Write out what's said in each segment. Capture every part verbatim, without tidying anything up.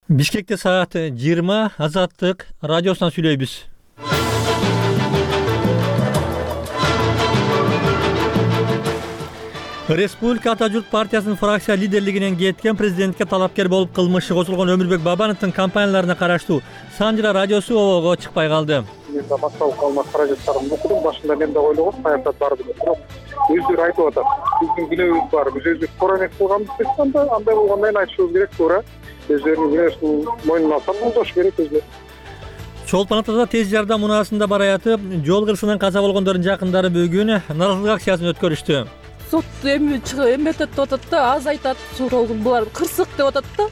Бишкекте саат жыйырма Азаттык радиосунан сүйлөйбүз. Республика Ата журт партиясынын фракция лидерлигинен кеткен президентке талапкер болуп кылмышы козулгон Өмүрбек Бабановдун компанияларына караштуу Санжыра радиосу обого чыкпай калды. Мен да массалык маалымат каражаттарын окудум. Башында мен да ойлогом саясат бар деп. Бирок өздөрү айтып атат. Биздин күнөөбүз бар. Биз өзүбүз туура эмес кылганбыз деп анда андай болгондон кийин айтышыбыз керек, туура. Өздөрүнүн күнөөсүн мойнуна алса болдош керек өздөрү. Чолпон Атада тез жардам унаасында бараятып, жол кырсынан каза болгондордун жакындары бүгүн нааразылык акциясын өткөрүштү. Сот эми эметет деп атат да, аз айтат, суроолун булар кырсык деп атат да.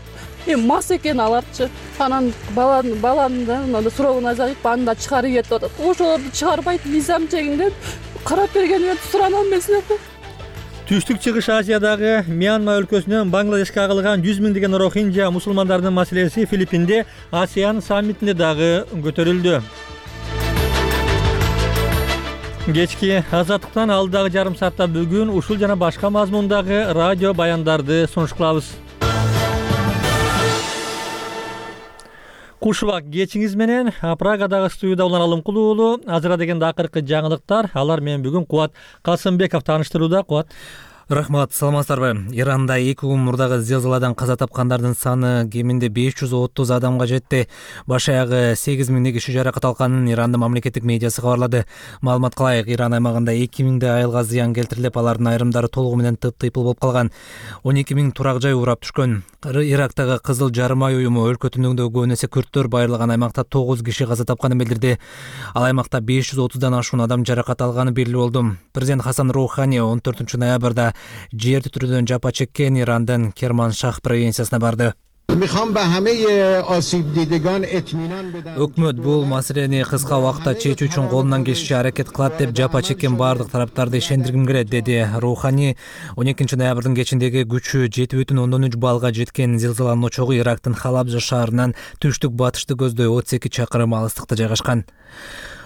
Эми мас экен аларчы. Анан баланы баланын суроолун азайып, аны да чыгарып ийет деп атат. Ошолорду чыгарбайт, мизам чегинден карап бергениме сурана алмайсың да. Түштүк Чыгыш Азиядагы Мьянма өлкөсүнөн Бангладешке агылган жүз миңдеген рохинжа мусулмандарынын маселеси Филиппинде АСЕАН саммитинде дагы көтөрүлдү. Кечки Азаттыктан алдагы жарым саатта бүгүн ушул жана башка мазмундагы радио баяндарды сунуш кылабыз. Куш убак кечиңиз менен Прагадагы студияда улан Алымкул уулу. Азыра дегенде акыркы жаңылыктар. Алар менен бүгүн Кубат Касымбеков тааныштырууда. Кубат. Рахмат, саламатсыздарбы? Иранда эки күн мурдагы зилзаладан каза тапкандардын саны кеминде беш жүз отуз адамга жетти. Баш аягы сегиз миңдей киши жаракат алганын Ирандын мамлекеттик медиасы кабарлады. Маалымат кылайык, Иран аймагында эки миңдей айылга зыян келтирилип, алардын айрымдары толугу менен тып-тыйпыл болуп калган. он эки миң турак жай урап түшкөн. Ирактагы Кызыл жарым ай уюму өлкө түндүгүндө көбүн эсе күрттөр байырлаган аймакта тогуз киши каза тапканын билдирди. Ал аймакта беш жүз отуздан ашуун адам жаракат алганы белгилүү болду. Президент Хасан Роухани он төртүнчү ноябрда жер титирөөдөн жапа чеккен Ирандын Керманшах провинциясына барды. Өкмөт бул маселени кыска убакытта чечүү үчүн колунан келишинче аракет кылат деп жапа чеккен бардык тараптарды ишендиргим келет, деди Роухани. он экинчи ноябрдын кечиндеги күчү жети бүтүн ондон үч баллга жеткен зилзаланын очогу Ирактын Халабжа шаарынан түштүк батышты көздөй отуз эки чакырым алыстыкта жайгашкан.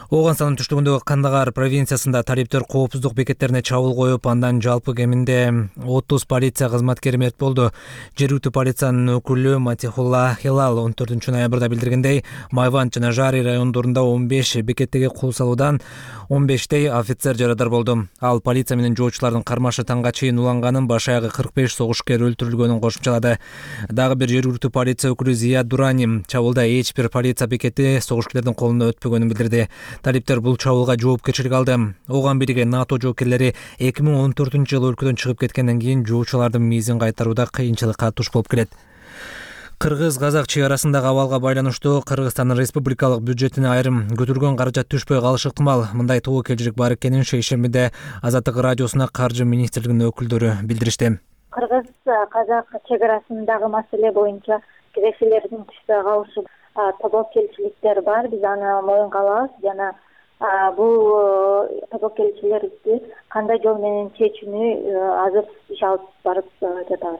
Оганстандын түштүгүндөгү Кандагар провинциясында талиптер коопсуздук бекеттерине чабуул коюп, андан жалпы кеминде отуз полиция кызматкери мерт болду. Жергиликтүү полициянын өкүлү Матихулла Хилал он төртүнчү ноябрда билдиргендей, Майвант жана Жари райондорунда он беш бекеттеги кул салуудан он бештей офицер жарадар болду. Ал полиция менен жоочулардын кармашы таңга чейин уланганын, баш аягы кырк беш согушкер өлтүрүлгөнүн кошумчалады. Дагы бир жергиликтүү полиция өкүлү Зия Дурани чабуулда эч бир полиция бекети согушкерлердин колуна өтпөгөнүн билдирди. Талиптер бул чабуулга жоопкерчилик алды. Оган бирге НАТО жоокерлери эки миң он төртүнчү жылы өлкөдөн чыгып кеткенден кийин жоочулардын мизин кайтарууда кыйынчылыкка туш болуп келет. Кыргыз-казак чек арасындагы абалга байланыштуу Кыргызстандын республикалык бюджетине айрым көтөргөн каражат түшпөй калышы ыктымал. Мындай тобокелчилик бар экенин шейшембиде Азаттык радиосуна Каржы министрлигинин өкүлдөрү билдиришти. Кыргыз-казак чек арасындагы маселе боюнча кирешелердин түшпөй калышы тобокелчиликтер бар. Биз аны моюнга алабыз жана бул тобокелчилерди кандай жол менен чечүүнү азыр иш алып барып жатабыз,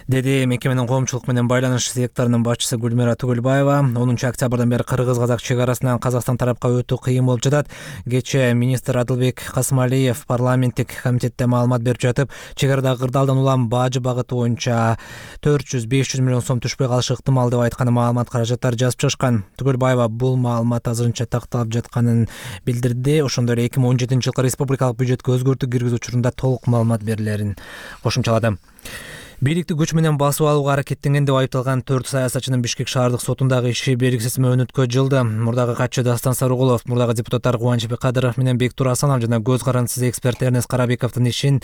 деди мекеменин коомчулук менен байланыш секторунун башчысы Гүлмира Түгөлбаева. онунчу октябрдан бери Кыргыз-казак чек арасынан Казакстан тарапка өтүү кыйын болуп жатат. Кечээ министр Адылбек Касымалиев парламенттик комитетте маалымат берип жатып, чек арадагы кырдаалдан улам бажы багыты боюнча төрт жүз беш жүз миллион сом түшпөй калышы ыктымал деп айтканы маалымат каражаттары жазып чыгышкан. Түгөлбаева бул маалымат азырынча такталып жатканын билдирди. Ошондой эле эки миң он жетинчи жылкы республикалык бюджетке өзгөртүү киргизүү учурунда толук маалымат берилерин кошумчалады. Бийликти күч менен басып алууга аракеттенген деп айыпталган төрт саясатчынын Бишкек шаардык сотундагы иши белгисиз мөөнөткө жылды. Мурдагы катчы Дастан Сарыгулов, мурдагы депутаттар Кубанычбек Кадыров менен Бектур Асанов жана көз карандысыз эксперт Эрнест Карабековдун ишин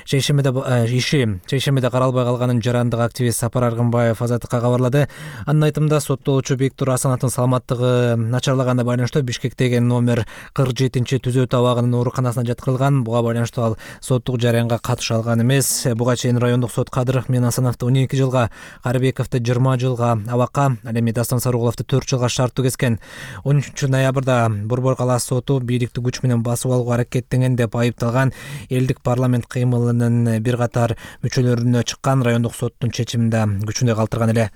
шейшембиде иши шейшембиде каралбай калганын жарандык активист Сапар Аргынбаев Азаттыкка кабарлады. Анын айтымында соттолуучу Бектур Асановдун саламаттыгы начарлаганына байланыштуу Бишкектеги номер кырк жетинчи түзөө табагынын ооруканасына жаткырылган. Буга байланыштуу ал соттук жараянга катыша алган эмес. Буга чейин райондук сот Кадыров мен Асановду он эки жылга, Карабековду жыйырма жылга абакка, ал эми Дастан Сарыгуловду төрт жылга шарттуу кескен. он үчүнчү ноябрда Борбор калаасы соту бийликти күч менен басып алууга аракеттенген деп айыпталган элдик парламент кыймылынын бир катар мүчөлөрүнө чыккан райондук соттун чечимин да күчүндө калтырган эле.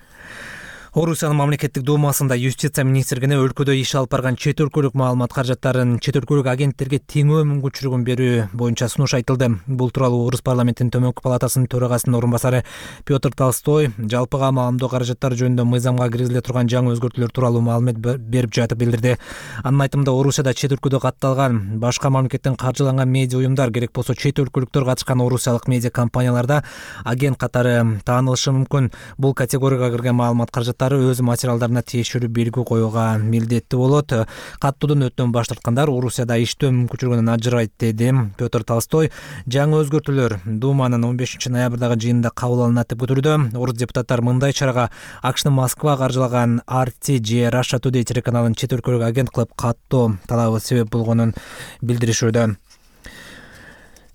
Орусиянын мамлекеттик думасында юстиция министрлигине өлкөдө иш алып барган чет өлкөлүк маалымат каражаттарын чет өлкөлүк агенттерге теңөө мүмкүнчүлүгүн берүү боюнча сунуш айтылды. Бул тууралуу Орус парламентинин төмөнкү палатасынын төрагасынын орун басары Петр Толстой жалпыга маалымдоо каражаттары жөнүндө мыйзамга киргизиле турган жаңы өзгөртүүлөр тууралуу маалымат берип жатып билдирди. Анын айтымында Орусияда чет өлкөдө катталган башка мамлекеттен каржыланган медиа уюмдар керек болсо чет өлкөлүктөр катышкан орусиялык медиа компанияларда агент катары таанылышы мүмкүн. Бул категорияга кирген маалымат каражаттары өз материалдарына тиешелүү белги коюуга милдеттүү болот. Каттоодон өтөн баш тарткандар Орусияда иштөө мүмкүнчүлүгүнөн ажырайт, деди Петр Толстой. Жаңы өзгөртүүлөр Думанын он бешинчи ноябрдагы жыйынында кабыл алынат деп күтүлүүдө. Орус депутаттар мындай чарага АКШнын Москва каржылаган ар ти же Russia Today телеканалын чет өлкөлүк агент кылып каттоо талабы себеп болгонун билдиришүүдө.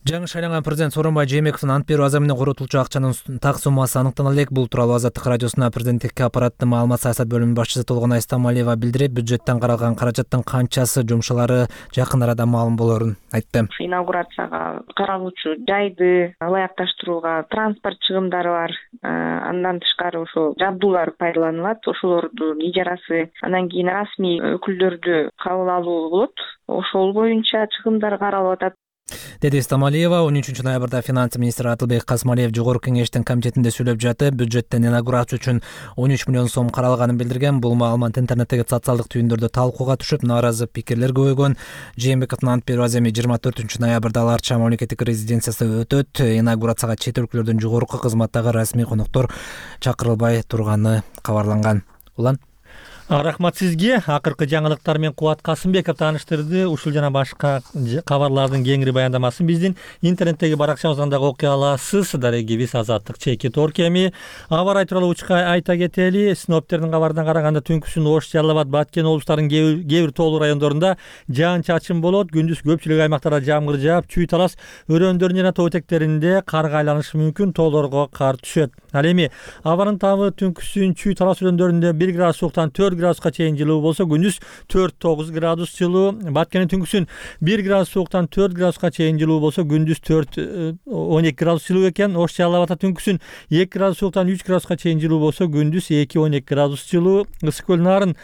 Жаңы шайланган президент Сооронбай Жээнбековдун ант берүү аза менен коротулчу акчанын так суммасы аныктана элек. Бул тууралуу Азаттык радиосуна президенттикке аппараттын маалымат саясат бөлүмүнүн башчысы Толгонай Стамалиева билдирип, бюджеттен каралган каражаттын канчасы жумшалары жакын арада маалым болорун айтты. Инаугурацияга каралуучу жайды ылайыкташтырууга транспорт чыгымдары бар. Андан тышкары ошол жабдуулар пайдаланылат. Ошолордун ижарасы, андан кийин расмий өкүлдөрдү кабыл алуу болот. Ошол боюнча чыгымдар каралып атат, деди Стамалиева. он үчүнчү ноябрда финанс министри Атылбек Касмалиев жогорку кеңештин комитетинде сүйлөп жатып, бюджеттен инаугурация үчүн он үч миллион сом каралганын билдирген. Бул маалымат интернеттеги социалдык түйүндөрдө талкууга түшүп, нааразы пикирлер көбөйгөн. Жээнбековдун ант берүү аземи жыйырма төртүнчү ноябрда Аларча мамлекеттик резиденциясында өтөт. Инаугурацияга чет өлкөлөрдөн жогорку кызматтагы расмий коноктор чакырылбай турганы кабарланган. Улан Рахмат сизге. Акыркы жаңылыктар менен Кубат Касымбеков тааныштырды. Ушул жана башка кабарлардын кеңири баяндамасын биздин интернеттеги баракчабыздан дагы окуй аласыз. Дарегибиз Азаттык чеки торкеми. Аба ырайы тууралуу учка айта кетели. Синоптиктердин кабарына караганда түнкүсүн Ош, Жалал Абад, Баткен облустарынын кээ бир тоолуу райондорунда жаан-чачын болот. Күндүз көпчүлүк аймактарда жамгыр жаап, чүй талас өрөөндөрүн жана тоо этектеринде карга айланышы мүмкүн. Тоолорго кар түшөт. Ал эми абанын табы түнкүсүн чүй талас өрөөндөрүндө бир градус сууктан төрт градуска чейин жылуу болсо, күндүз төрт тогуз градус жылуу. Баткендин түнкүсүн бир градус сууктан төрт градуска чейин жылуу болсо, күндүз төрт он эки градус жылуу экен. Ош, Жалал Абадта түнкүсүн эки градус сууктан үч градуска чейин жылуу болсо, күндүз эки он эки градус жылуу. Ысык көл Нарын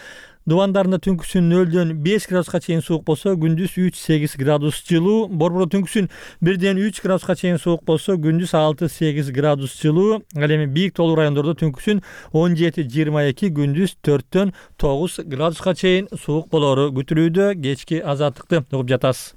Дубандарында түнкүсүн нөлдөн беш градуска чейин суук болсо, күндүз үч сегиз градус жылуу. Борбордо түнкүсүн бирден үч градуска чейин суук болсо, күндүз алты сегиз градус жылуу. Ал эми бийик тоолуу райондордо түнкүсүн он жети жыйырма эки, күндүз төрттөн тогуз градуска чейин суук болору күтүлүүдө. Кечки азаттыкты угуп жатасыз.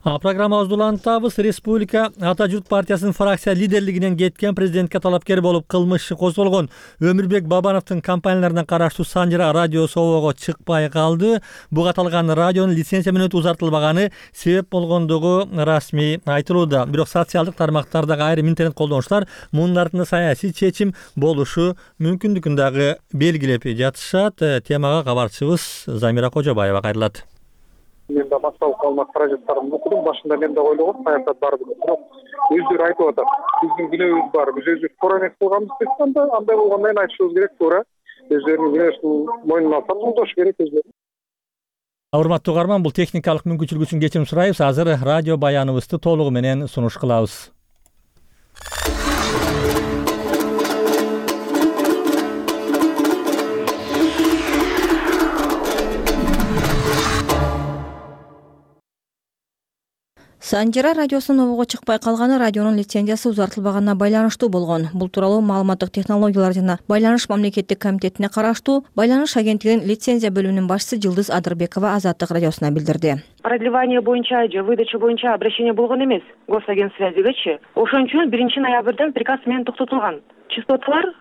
Программабызды улантабыз. Республика Ата журт партиясынын фракция лидерлигинен кеткен, президентке талапкер болуп кылмыш иши козголгон Өмүрбек Бабановдун компанияларына караштуу Санжара радиосу обого чыкпай калды. Буга аталган радионун лицензия мүнөтү узартылбаганы себеп болгондугу расмий айтылууда. Бирок социалдык тармактардагы айрым интернет колдонуучулар мунун артында саясий чечим болушу мүмкүндүгүн дагы белгилеп жатышат. Темага кабарчыбыз Замира Кожобаева кайрылат. Мен да массалык маалымат каражаттарын окудум. Башында мен да ойлогом, саясат бар деп. Бирок өздөрү айтып атат. Биздин күнөөбүз бар. Биз өзүбүз туура эмес кылганбыз деп анда андай болгондон айтышыбыз керек, туура. Өздөрүнүн күнөөсүн мойнуна алса, жолдош керек өздөрү. Урматтуу угарман, бул техникалык мүмкүнчүлүк үчүн кечирим сурайбыз. Азыр радио баяныбызды толугу менен сунуш кылабыз. Санжара радиосунун обого чыкпай калганы радионун лицензиясы узартылбаганына байланыштуу болгон. Бул тууралуу Маалыматтык технологиялар жана байланыш мамлекеттик комитетине караштуу Байланыш агенттигинин лицензия бөлүмүнүн башчысы Жылдыз Адырбекова Азаттык радиосуна билдирди. Продлевание боюнча же выдача боюнча обращение болгон эмес госагентсвязигечи. Ошон үчүн биринчи ноябрдан приказ менен токтотулган. Частоталар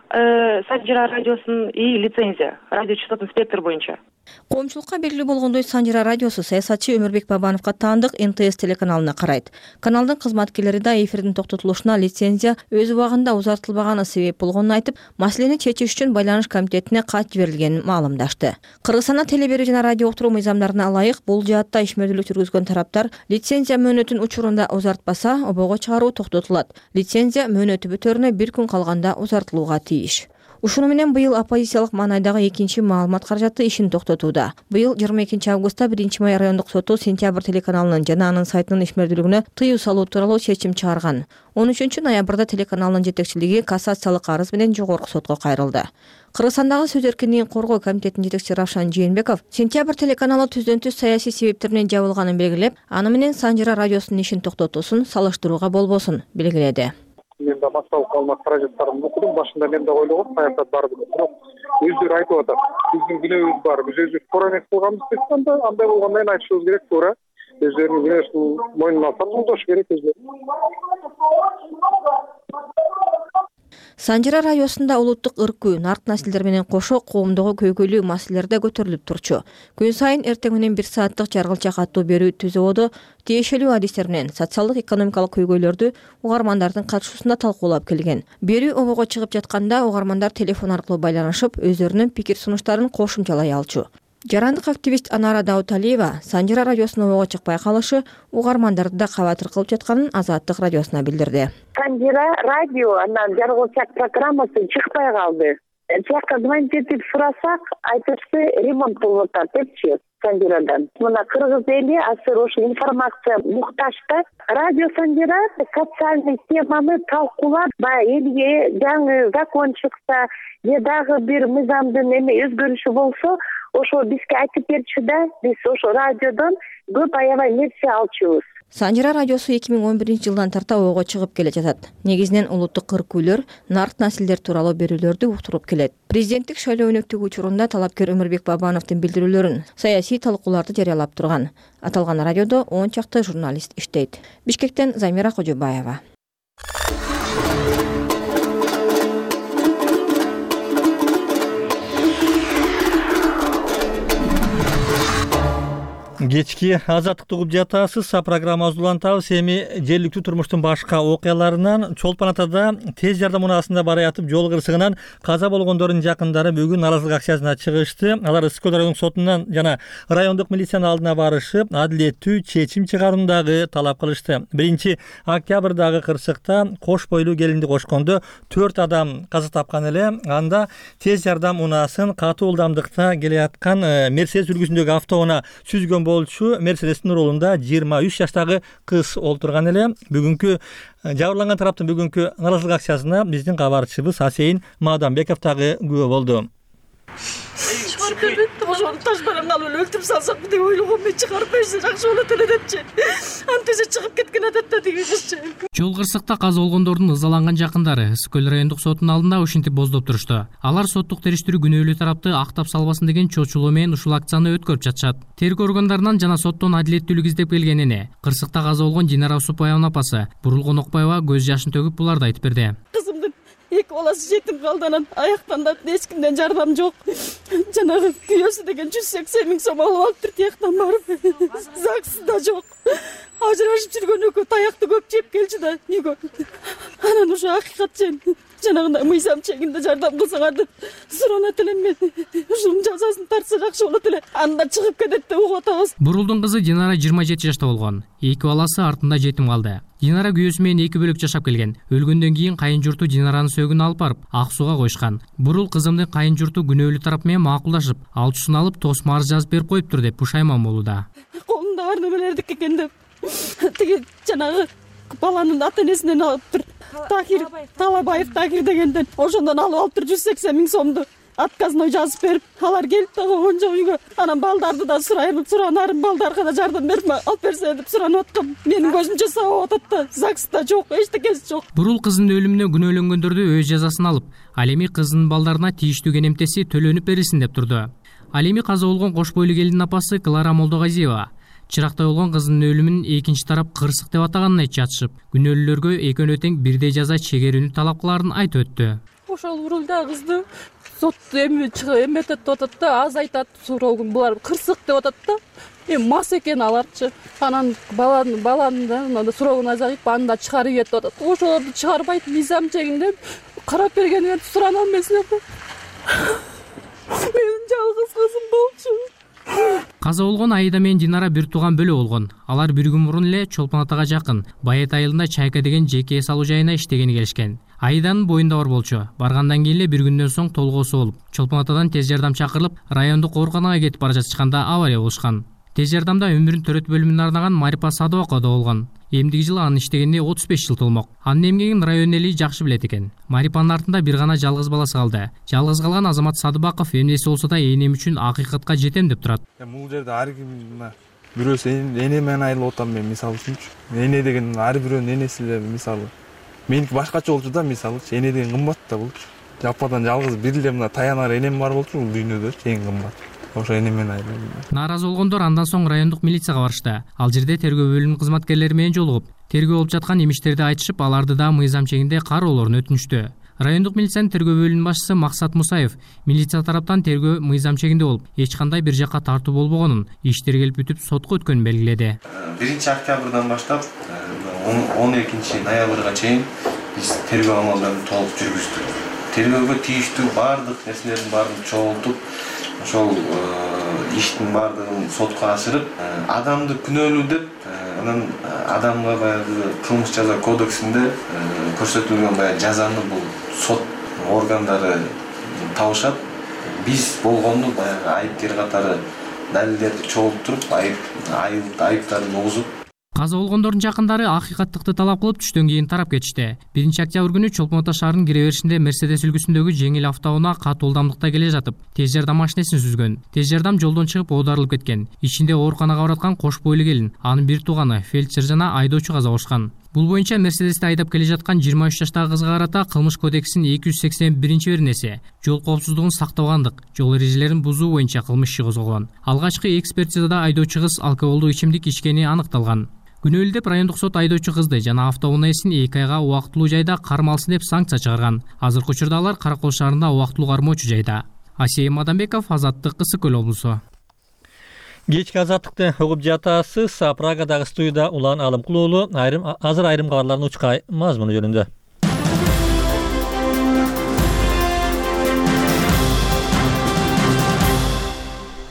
Санжара радиосунун и лицензия, радиочастотный спектр боюнча. Коомчулукка белгилүү болгондой, Санжара радиосу саясатчы Өмүрбек Бабановго таандык эн тэ эс телеканалына карайт. Каналдын кызматкерлери да эфирдин токтотулушуна лицензия өз убагында узартылбаганы себеп болгонун айтып, маселени чечиш үчүн Байланыш комитетине кат жиберилгенин маалымдашты. Кыргызстанда теле берүү жана радио уктуруу мыйзамдарына ылайык бул жаатта ишмердүүлүк жүргүзгөн тараптар лицензия мөөнөтүн учурунда узартпаса, обого чыгаруу токтотулат. Лицензия мөөнөтү бүтөрүнө бир күн калганда узартылууга тийиш. Ушуну менен быйыл оппозициялык маанайдагы экинчи маалымат каражаты ишин токтотууда. Быйыл жыйырма экинчи августта биринчи май райондук соту Сентябрь телеканалынын жана анын сайтынын ишмердүүлүгүнө тыюу салуу тууралуу чечим чыгарган. он үчүнчү ноябрда телеканалдын жетекчилиги кассациялык арыз менен жогорку сотко кайрылды. Кыргызстандагы сөз эркиндигин коргоо комитетинин жетекчиси Равшан Жээнбеков Сентябрь телеканалы түздөн түз саясий себептер менен жабылганын белгилеп, аны менен Санжира радиосунун ишин токтотуусун салыштырууга болбосун белгиледи. Мен да массалык маалымат каражаттарын окудум. Башында мен да ойлогом каякта барып, бирок өздөрү айтып атат. Биздин күнөөбүз бар. Биз өзүбүз туура эмес кылганбыз деп анда андай болгондон кийин айтышыбыз керек, туура. Өздөрүнүн күнөөсүн мойнуна алса жолдош керек өзү. Санжира радиосунда улуттук ыркуу, нарт наслдер менен кошо коомдогу көйгөйлүү маселелер да көтөрүлүп турчу. Күн сайын эртең менен бир сааттык жаргылча каттуу берүү түзүүдө тиешелүү адистер менен социалдык экономикалык көйгөйлөрдү угармандардын катышуусунда талкуулап келген. Берүү обого чыгып жатканда угармандар телефон аркылуу байланышып, өздөрүнүн пикир сунуштарын кошумчалай алчу. Жарандык активист Анара Дауталиева Санжира радиосунун обого чыкпай калышы угармандарды да кабатыр кылып жатканын Азаттык радиосуна билдирди. Санжира радио анан жаргылчак программасы чыкпай калды. Жакка звонить сурасак, айтышты ремонт болуп атат депчи Санжирадан. Мына кыргыз эли азыр ошо информация муктаж да. Радио Санжира социальный теманы талкуулап, баягы элге жаңы закон чыкса, же дагы бир мыйзамдын эме өзгөрүшү болсо, ошо бизге айтып берчү да, биз ошо радиодон көп аябай нерсе алчубуз. Санжира радиосу эки миң он биринчи жылдан тарта обого чыгып келе жатат. Негизинен улуттук ыркүүлөр, нарт наслдер тууралуу берүүлөрдү уктуруп келет. Президенттик шайлоо өнөктүгү учурунда талапкер Өмүрбек Бабановдун билдирүүлөрүн, саясий талкууларды жарыялап турган. Аталган радиодо он чакты журналист иштейт. Бишкектен Замира Кожобаева. Кечки азаттыкты угуп жатасыз. Программабызды улантабыз. Эми жергиликтүү турмуштун башка окуяларынан Чолпон Атада тез жардам унаасында бара ятып жол кырсыгынан каза болгондордун жакындары бүгүн нааразылык акциясына чыгышты. Алар Ысык-Көл райондук сотунан жана райондук милициянын алдына барышып, адилеттүү чечим чыгаруундагы талап кылышты. биринчи октябрдагы кырсыкта кош бойлуу келинди кошкондо төрт адам каза тапкан эле. Анда тез жардам унаасын катуу ылдамдыкта келе аткан Мерседес үлгүсүндөгү автоунаа сүзгөн болчу. Мерседестин рулунда жыйырма үч жаштагы кыз олтурган эле. Бүгүнкү жабырланган тараптын бүгүнкү нааразылык акциясына биздин кабарчыбыз Асейин Мадамбеков дагы күбө болду. Чыгарып бербейт, ошону таш менен алып эле өлтүрүп салсакпы деп ойлогом. Мен чыгарып берсе жакшы болот эле депчи. Антиже чыгып кеткен адатта тиги кызчы. Жол кырсыкта каза болгондордун ызаланган жакындары Ысык-Көл райондук сотунун алдында ушинтип боздоп турушту. Алар соттук териштирүү күнөөлүү тарапты актап салбасын деген чочулуу менен ушул акцияны өткөрүп жатышат. Тергөө органдарынан жана соттон адилеттүүлүк издеп келгенине кырсыкта каза болгон Динара Усупбаеванын апасы Бурулгон Окбаева көз жашын төгүп буларды айтып берди. Кызымдын эки баласы жетим калды, анан аяктан да эч кимден жардам жок. Жанагы күйөөсү деген жүз сексен миң сом алып алыптыр тияктан барып. Загсы да жок. Ажырашып жүргөн экөө таякты көп жеп келчү да үйгө. Анан ушу акыйкат жен жанагындай мыйзам чегинде жардам кылсаңар деп суранат элем мен. Ушунун жазасын тартса жакшы болот эле. Анда чыгып кетет деп угуп атабыз. Бурулдун кызы Динара жыйырма жети жашта болгон. Эки баласы артында жетим калды. Динара күйөөсү менен эки бөлөк жашап келген. Өлгөндөн кийин кайын журту Динаранын сөөгүн алып барып ак сууга койушкан. Бурул кызымдын кайын журту күнөөлүү тарап менен макулдашып, алчусын алып тосмо арыз жазып берип коюптур деп пушайман болууда. Колунда бар немелердики экен деп. Тиги жанагы баланын ата энесинен алыптыр. Такир Талабаев Такир дегенден ошондон алып алыптыр жүз сексен миң сомду. Отказной жазып берип, алар келип дагы онжо үйгө. Анан балдарды да сурайын, суранарын балдарга да жардам берип алып берсе деп суранып аткам. Менин көзүмчө сабап атат да, загста жок, эчтекеси жок. Бурул кызынын өлүмүнө күнөөлөнгөндөрдү өз жазасын алып, ал эми кызынын балдарына тийиштүү кенемтеси төлөнүп берилсин деп турду. Ал эми каза болгон кош бойлуу келиндин апасы Клара Молдогазиева чыракта болгон кызынын өлүмүн экинчи тарап кырсык деп атаганын айтып жатышып, күнөөлүүлөргө экөөнө тең бирдей жаза чегерүүнү талап кылаарын айтып өттү. Ошол урулда кызды сот эми эметет деп атат да, аз айтат, суроогун булар кырсык деп атат да. Эми мас экен аларчы. Анан баланын баланын да суроогун азайып, аны да чыгарып ийет деп атат. Ошолорду чыгарбайт, мыйзам чегинде карап бергенин сурана алмайсыңар да. Менин жалгыз кызым болчу. Каза болгон Аида менен Динара бир тууган бөлө болгон. Алар бир күн мурун эле Чолпон Атага жакын Байет айылында Чайка деген жеке эс алуу жайына иштегени келишкен. Айданын боюнда бар болчу. Баргандан кийин эле бир күндөн соң толгоосу болуп, Чолпон атадан тез жардам чакырылып, райондук ооруканага кетип бара жатышканда авария болушкан. Тез жардамда өмүрүн төрөт бөлүмүнө арнаган Марипа Садыбакова да болгон. Эмдиги жылы анын иштегенине отуз беш жыл толмок. Анын эмгегин район эли жакшы билет экен. Марипанын артында бир гана жалгыз баласы калды. Жалгыз калган Азамат Садыбаков эмнеси болсо да энем үчүн акыйкатка жетем деп турат. Бул жерде ар ким бирөөсү эне менен айырылып атам мен мисалы үчүнчү. Эне деген ар бирөөнүн энеси эле мисалы. Меники башкача болчу да мисалычы. Эне деген кымбат да болчу. Жападан жалгыз бир эле мына таянар энем бар болчу бул дүйнөдө эң кымбат. Ошо эне менен айырылып. Нааразы болгондор андан соң райондук милицияга барышты. Ал жерде тергөө бөлүмүнүн кызматкерлери менен жолугуп, тергөө болуп жаткан имиштерди айтышып, аларды да мыйзам чегинде кароолорун өтүнүштү. Райондук милициянын тергөө бөлүмүнүн башчысы Максат Мусаев милиция тараптан тергөө мыйзам чегинде болуп, эч кандай бир жакка тартуу болбогонун, иштер келип бүтүп сотко өткөнүн белгиледи. биринчи октябрдан баштап он экинчи ноябрга чейин биз тергөө амалдарын толук жүргүздүк. Тергөөгө тийиштүү баардык нерселердин баарын чогултуп, ошол иштин баардыгын сотко ашырып, адамды күнөөлүү деп, анан адамга баягы кылмыш жаза кодексинде көрсөтүлгөн баягы жазаны бул сот органдары табышат. Биз болгону баягы айыпкер катары далилдерди чогултуруп, айып айыптарын угузуп, каза болгондордун жакындары акыйкаттыкты талап кылып түштөн кийин тарап кетишти. биринчи октябрь күнү Чолпон ата шаарынын кире беришинде Мерседес үлгүсүндөгү жеңил автоунаа катуу ылдамдыкта келе жатып, тез жардам машинесин сүзгөн. Тез жардам жолдон чыгып оодарылып кеткен. Ичинде ооруканага бараткан кош бойлуу келин, анын бир тууганы, фельдшер жана айдоочу каза болушкан. Бул боюнча Мерседести айдап келе жаткан жыйырма үч жаштагы кызга карата кылмыш кодексинин эки жүз сексен биринчи беренеси жол коопсуздугун сактабагандык, жол эрежелерин бузуу боюнча кылмыш иши козголгон. Алгачкы экспертизада айдоочу кыз алкоголдук ичимдик ичкени аныкталган. Күнөөлүү деп райондук сот айдоочу кызды жана автоунаасин эки айга убактылуу жайда кармалсын деп санкция чыгарган. Азыркы учурда алар Каракол шаарында убактылуу кармоочу жайда. Асия Мадамбеков, Азаттык, Ысык Көл облусу. Кечки азаттыкты угуп жатасыз. Прагадагы студияда Улан Алымкул уулу айрым азыр айрым кабарлардын учка мазмуну жөнүндө.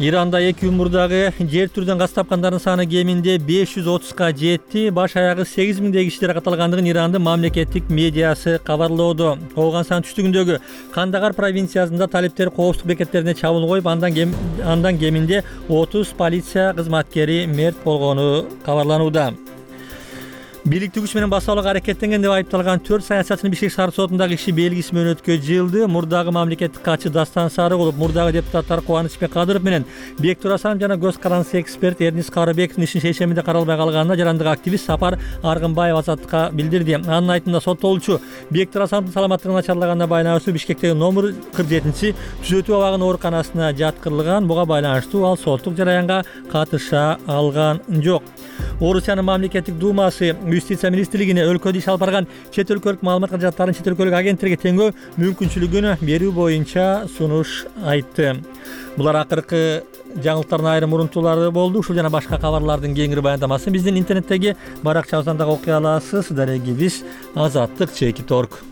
Иранда эки күн мурдагы жер түрдөн газ тапкандардын саны кеминде беш жүз отузга жетти. Баш аягы сегиз миңдей кишилер каталгандыгын Ирандын мамлекеттик медиасы кабарлоодо. Калган сан түштүгүндөгү Кандагар провинциясында талиптер коопсуздук бекеттерине чабуул коюп, андан кем, андан кеминде отуз полиция кызматкери мерт болгону кабарланууда. Бийликтүү күч менен басалык аракеттенген деп айыпталган төрт саясатчынын Бишкек шаар сотундагы иши белгиси менен өткө жылды. Мурдагы мамлекеттик катчы Дастан Сарыгулов, мурдагы депутаттар Кубанычбек Кадыров менен Бектур Асанов жана көз карандысы эксперт Эрнис Карыбековдун ишин шешеминде каралбай калганына жарандык активист Сапар Аргынбаев Азаттыкка билдирди. Анын айтымында соттолуучу Бектур Асановдун саламаттыгы начарлаганына байланыштуу Бишкектеги номер кырк жетинчи түзөтүү абагынын ооруканасына жаткырылган. Буга байланыштуу ал соттук жараянга катыша алган жок. Орусиянын мамлекеттик думасы Юстиция министрлигине өлкөдө иш алып барган чет өлкөлүк маалымат каражаттарын чет өлкөлүк агенттиктерге теңөө мүмкүнчүлүгүн берүү боюнча сунуш айтты. Булар акыркы жаңылыктардын айрым урунтуулары болду. Ушул жана башка кабарлардын кеңири баяндамасын биздин интернеттеги баракчабыздан дагы окуй аласыз. Дарегибиз азаттык чекит точка орг.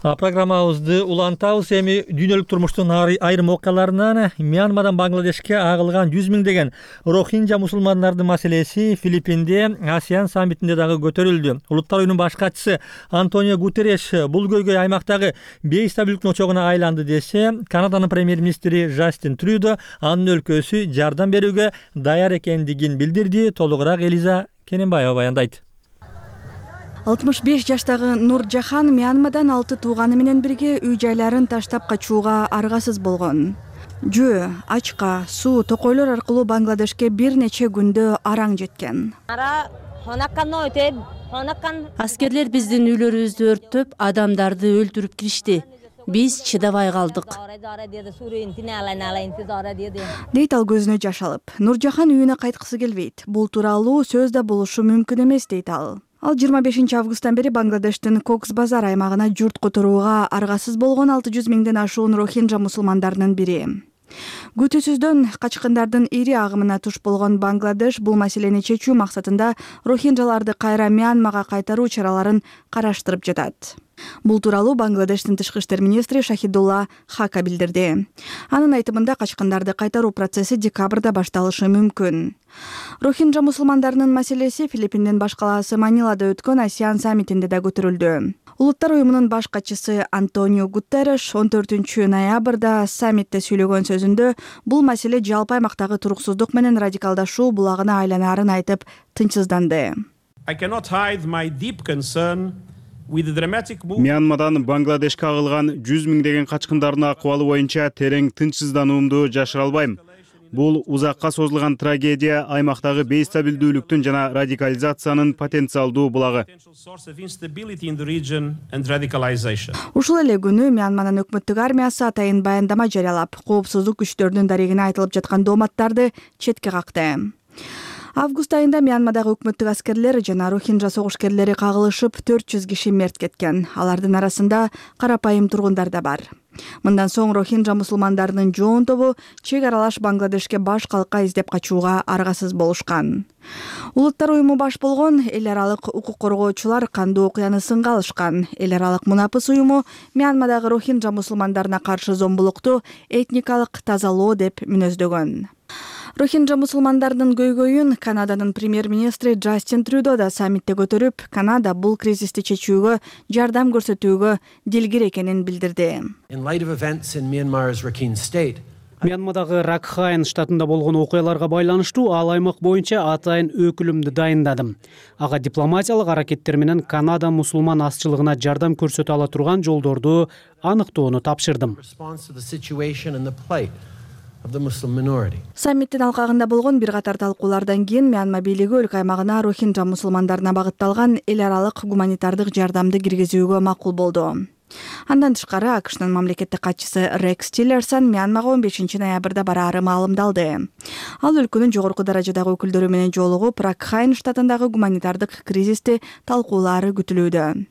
Программабызды улантабыз. Эми дүйнөлүк турмуштун айрым окуяларынан Мьянмадан Бангладешке агылган жүз миңдеген рохинджа мусулмандардын маселеси Филиппинде Асиан саммитинде дагы көтөрүлдү. Улуттар уюмунун баш катчысы Антонио Гутерреш бул көйгөй аймактагы бейстабилдиктин очогуна айланды десе, Канаданын премьер-министри Жастин Трюдо анын өлкөсү жардам берүүгө даяр экендигин билдирди. Толугураак Элиза Кененбаева баяндайт. алтымыш беш жаштагы Нур Жахан Мьянмадан алты тууганы менен бирге үй жайларын таштап качууга аргасыз болгон. Жөө, ачка, суу, токойлор аркылуу Бангладешке бир нече күндө араң жеткен. Аскерлер биздин үйлөрүбүздү өрттөп, адамдарды өлтүрүп киришти. Биз чыдабай калдык. Дейт ал көзүнө жаш алып. Нур Жахан үйүнө кайткысы келбейт. Бул тууралуу сөз да болушу мүмкүн эмес дейт ал. Ал жыйырма бешинчи августтан бери Бангладештин Кокс Базар аймагына журт которууга аргасыз болгон алты жүз миңден ашуун рохинджа мусулмандарынын бири. Күтүүсүздөн качкындардын ири агымына туш болгон Бангладеш бул маселени чечүү максатында рохинджаларды кайра Мьянмага кайтаруу чараларын караштырып жатат. Бул тууралуу Бангладештин тышкы иштер министри Шахидулла Хака билдирди. Анын айтымында качкындарды кайтаруу процесси декабрда башталышы мүмкүн. Рохинджа мусулмандарынын маселеси Филиппиндин баш калаасы Манилада өткөн ASEAN саммитинде да көтөрүлдү. Улуттар уюмунун баш катчысы Антонио Гутерреш он төртүнчү ноябрда саммитте сүйлөгөн сөзүндө бул маселе жалпы аймактагы туруксуздук менен радикалдашуу булагына айланаарын айтып тынчсызданды. Мьянмадан Бангладешке агылган жүз миңдеген качкындардын акыбалы боюнча терең тынчсыздануумду жашыра албайм. Бул узакка созулган трагедия аймактагы бейстабилдүүлүктүн жана радикализациянын потенциалдуу булагы. Ушул эле күнү Мьянманын өкмөттүк армиясы атайын баяндама жарыялап, коопсуздук күчтөрүнүн дарегине айтылып жаткан дооматтарды четке какты. Август айында Мьянмадагы өкмөттүк аскерлер жана Рохинджа согушкерлери кагылышып төрт жүз киши мерт кеткен. Алардын арасында карапайым тургундар да бар. Мындан соң Рохинджа мусулмандарынын жоон тобу чек аралаш Бангладешке баш калка издеп качууга аргасыз болушкан. Улуттар уюму баш болгон эл аралык укук коргоочулар кандуу окуяны сынга алышкан. Эл аралык мунапыс уюму Мьянмадагы Рохинджа мусулмандарына каршы зомбулукту этникалык тазалоо деп мүнөздөгөн. Рохинджа мусулмандарынын көйгөйүн Канаданын премьер-министри Джастин Трюдо да саммитте көтөрүп, Канада бул кризисти чечүүгө жардам көрсөтүүгө дилгир экенин билдирди. Мьянмадагы Ракхайн штатында болгон окуяларга байланыштуу ал аймак боюнча атайын өкүлүмдү дайындадым. Ага дипломатиялык аракеттер менен Канада мусулман азчылыгына жардам көрсөтө ала турган жолдорду аныктоону тапшырдым. Саммиттин алкагында болгон бир катар талкуулардан кийин Мьянма бийлиги өлкө аймагына Рохинджа мусулмандарына багытталган эл аралык гуманитардык жардамды киргизүүгө макул болду. Андан тышкары АКШнын мамлекеттик катчысы Рекс Тиллерсон Мьянмага он бешинчи ноябрда бараары маалымдалды. Ал өлкөнүн жогорку даражадагы өкүлдөрү менен жолугуп, Ракхайн штатындагы гуманитардык кризисти талкуулаары күтүлүүдө.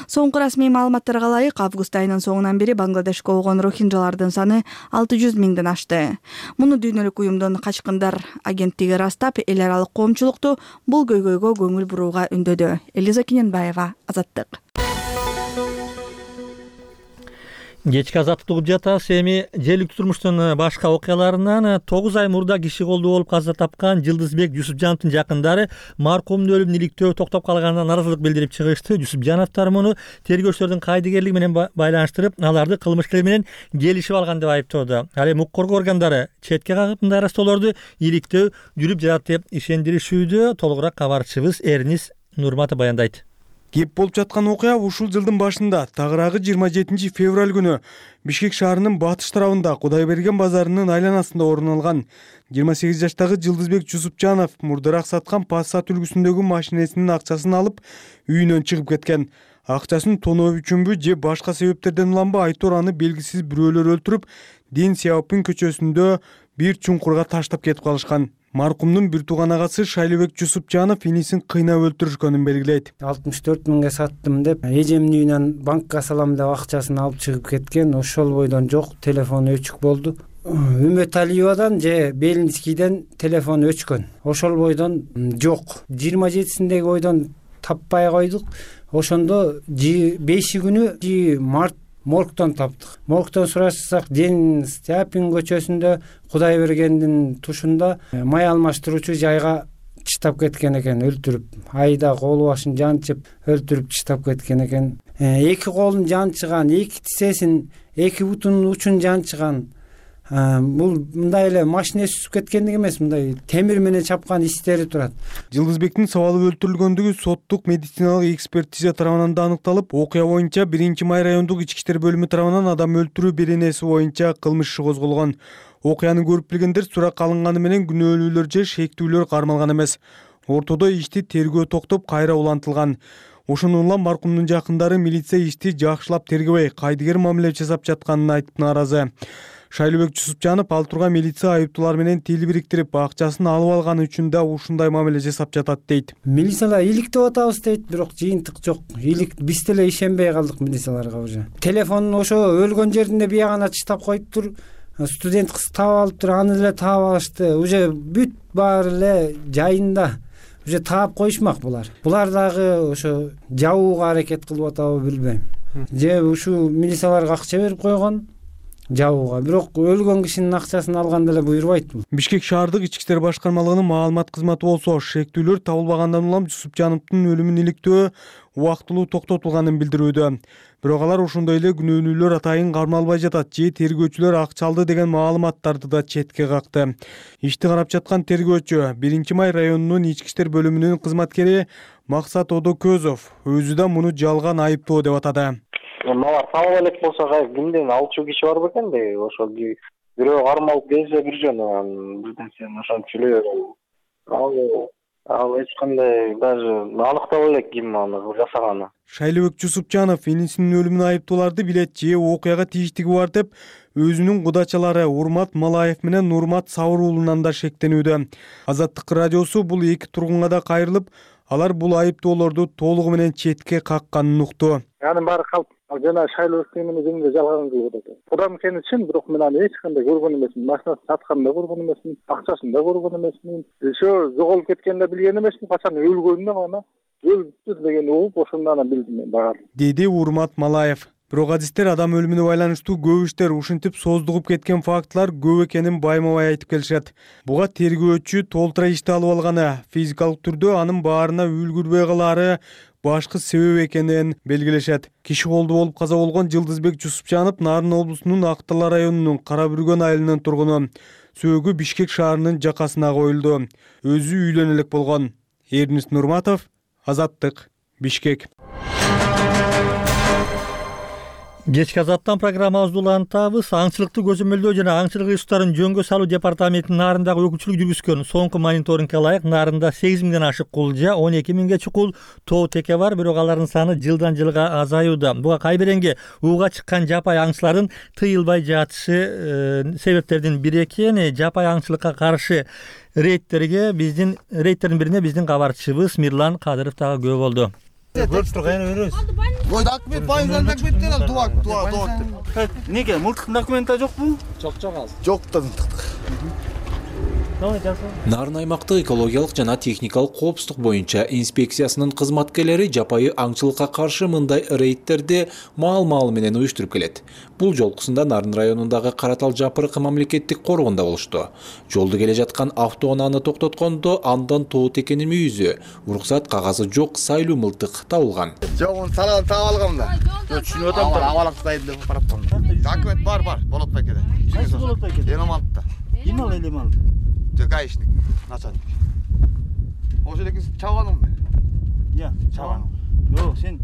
Соңку расмий маалыматтарга ылайык, август айынын соңунан бери Бангладешке болгон рохинджалардын саны алты жүз миңден ашты. Муну дүйнөлүк уюмдун качкындар агенттиги ырастап, эл аралык коомчулукту бул көйгөйгө көңүл бурууга үндөдү. Элиза Кененбаева, Азаттык. Кечки азаттык угуп жатабыз. Эми желиктүү турмуштун башка окуяларынан тогуз ай мурда киши колдуу болуп каза тапкан Жылдызбек Жусупжановдун жакындары маркумдун өлүмүн иликтөө токтоп калганына нааразылык билдирип чыгышты. Жусупжановдор муну тергөөчүлөрдүн кайдыгерлиги менен байланыштырып, аларды кылмышкер менен келишип алган деп айыптоодо. Ал эми укук коргоо органдары четке кагып мындай арастоолорду иликтөө жүрүп жатат деп ишендиришүүдө. Толугураак кабарчыбыз Эрнис Нурматов баяндайт. Кеп болуп жаткан окуя ушул жылдын башында, тагыраагы жыйырма жетинчи февраль күнү Бишкек шаарынын батыш тарабында Кудайберген базарынын айланасында орун алган. жыйырма сегиз жаштагы Жылдызбек Жусупжанов мурдараак саткан Passat үлгүсүндөгү машинесинин акчасын алып, үйүнөн чыгып кеткен. Акчасын тоноо үчүнбү же башка себептерден уланбы айтор аны белгисиз бирөөлөр өлтүрүп, Ден Сяопин көчөсүндө бир чуңкурга таштап кетип калышкан. Маркумдун бир тууган агасы Шайлыбек Жусупжанов инисин кыйнап өлтүрүшкөнүн белгилейт. алтымыш төрт миңге саттым деп, эжемдин үйүнөн банкка салам деп акчасын алып чыгып кеткен. Ошол бойдон жок, телефону өчүк болду. Үмөт Алиевадан же Белинскийден телефон өчкөн. Ошол бойдон жок. жыйырма жетисиндеги бойдон таппай койдук. Ошондо беши күнү март моргтон таптык. Моргтон сурашсак, Ден Сяопин көчөсүндө Кудайбергендин тушунда май алмаштыруучу жайга чыштап кеткен экен, өлтүрүп. Айда колу башын жанчып, өлтүрүп чыштап кеткен экен. Эки колун жанчыган, эки тизесин, эки бутунун учун жанчыган. Бул мындай эле машинеси түсүп кеткендик эмес, мындай темир менен чапкан истери турат. Жылдызбектин сабалып өлтүрүлгөндүгү соттук медициналык экспертиза тарабынан да аныкталып, окуя боюнча биринчи май райондук ички иштер бөлүмү тарабынан адам өлтүрүү беренеси боюнча кылмыш иши козголгон. Окуяны көрүп билгендер суракка алынганы менен күнөөлүүлөр же шектүүлөр кармалган эмес. Ортодо ишти тергөө токтоп, кайра улантылган. Ошондон улам маркумдун жакындары милиция ишти жакшылап тергебей, кайдыгер мамиле жасап жатканын айтып нааразы. Шайлыбек Жусупжанов ал турган милиция айыптуулар менен тил бириктирип, акчасын алып алганы үчүн да ушундай мамиле жасап жатат дейт. Милициялар иликтеп атабыз дейт, бирок жыйынтык жок. Илик биз деле ишенбей калдык милицияларга уже. Телефонун ошо өлгөн жеринде биягана чыштап коюптур. Студент кыз таап алыптыр, аны деле таап алышты. Уже бүт баары эле жайында. Уже таап коюшмак булар. Булар дагы ошо жабууга аракет кылып атабы билбейм. же ушул милицияларга акча берип койгон жабууга, бирок өлгөн кишинин акчасын алганда эле буйрубайт бул. Бишкек шаардык ички иштер башкармалыгынын маалымат кызматы болсо шектүүлөр табылбагандан улам Жусупжановдун өлүмүн иликтөө убактылуу токтотулганын билдирүүдө. Бирок алар ошондой эле күнөөнүүлөр атайын кармалбай жатат же тергөөчүлөр акча алды деген маалыматтарды да четке какты. Ишти карап жаткан тергөөчү биринчи май районунун ички иштер бөлүмүнүн кызматкери Максат Одокөзов өзү да муну жалган айыптоо деп атады. Малар табыла элек болсо кимден алчу киши бар бекен де, ошо бирөө кармалып келсе бир жөн бирден сен ошончу эле ал ал эч кандай даже аныктала элек ким аны жасаганы. Шайлыбек Жусупжанов инисинин өлүмүнө айыптууларды билет же окуяга тийиштиги бар деп өзүнүн кудачалары Урмат Малаев менен Нурмат Сабыр уулунан да шектенүүдө. Азаттык радиосу бул эки тургунга да кайрылып, алар бул айыптоолорду толугу менен четке какканын укту. Анын баары калп жана Шайлыбектин эмени жөнүндө жалган кылып атат. Кудам экени чын, бирок мен аны эч кандай көргөн эмесмин. Машинасын сатканын да көргөн эмесмин, акчасын да көргөн эмесмин. Ошо жоголуп кеткенин да билген эмесмин, качан өлгөнүн да мана өлүптү дегенди угуп ошондон анан билдим мен багар. Деди Урмат Малаев. Бирок адистер адам өлүмүнө байланыштуу көп иштер ушинтип создугуп кеткен фактылар көп экенин байма-бай айтып келишет. Буга тергөөчү толтура ишти алып алганы, физикалык түрдө анын баарына үлгүрбөй калаары башкы себеп экенин белгилешет. Киши колду болуп каза болгон Жылдызбек Жусупжанов Нарын облусунун Актала районунун Кара Бүргөн айылынын тургуну. Сөөгү Бишкек шаарынын жакасына коюлду. Өзү үйлөнө элек болгон. Эрнис Нурматов, Азаттык, Бишкек. Кечки азаттан программабызды улантабыз. Аңчылыкты көзөмөлдөө жана аңчылык ресурстарын жөнгө салуу департаментинин Нарындагы өкүлчүлүк жүргүзгөн соңку мониторингге ылайык Нарында сегиз миңден ашык кулжа, он эки миңге чукул тоо теке бар, бирок алардын саны жылдан жылга азаюуда. Буга Кайберенге ууга чыккан жапай аңчылардын тыйылбай жатышы себептердин бири экен. Жапай аңчылыкка каршы рейдтерге биздин рейдтердин бирине биздин кабарчыбыз Мирлан Кадыров дагы күбө болду. Көрүп турган өрөбүз. Ой, документ байыңдан документтер ал туак, туак, туак. Неге мылтыктын документи жокпу? Жок, жок ал. Жок да мылтык. Нарын аймактык экологиялык жана техникалык коопсуздук боюнча инспекциясынын кызматкерлери жапайы аңчылыкка каршы мындай рейдтерди маал-маал менен уюштуруп келет. Бул жолкусунда Нарын районундагы Каратал Жапырык мамлекеттик коргондо болушту. Жолду келе жаткан автоунааны токтоткондо андан тоо текенин мүйүзү, уруксат кагазы жок сайлуу мылтык табылган. Жок, салган таап алгам да. Түшүнүп атам да. Абалактайын деп бараптам. Документ бар, бар, болот бекеде. Кайсы болот бекеде? Элемантта. Ким ал элемант? Гаишник, начальник. Ошо элеки чабаным мен. Я, чабаным. Жок, сен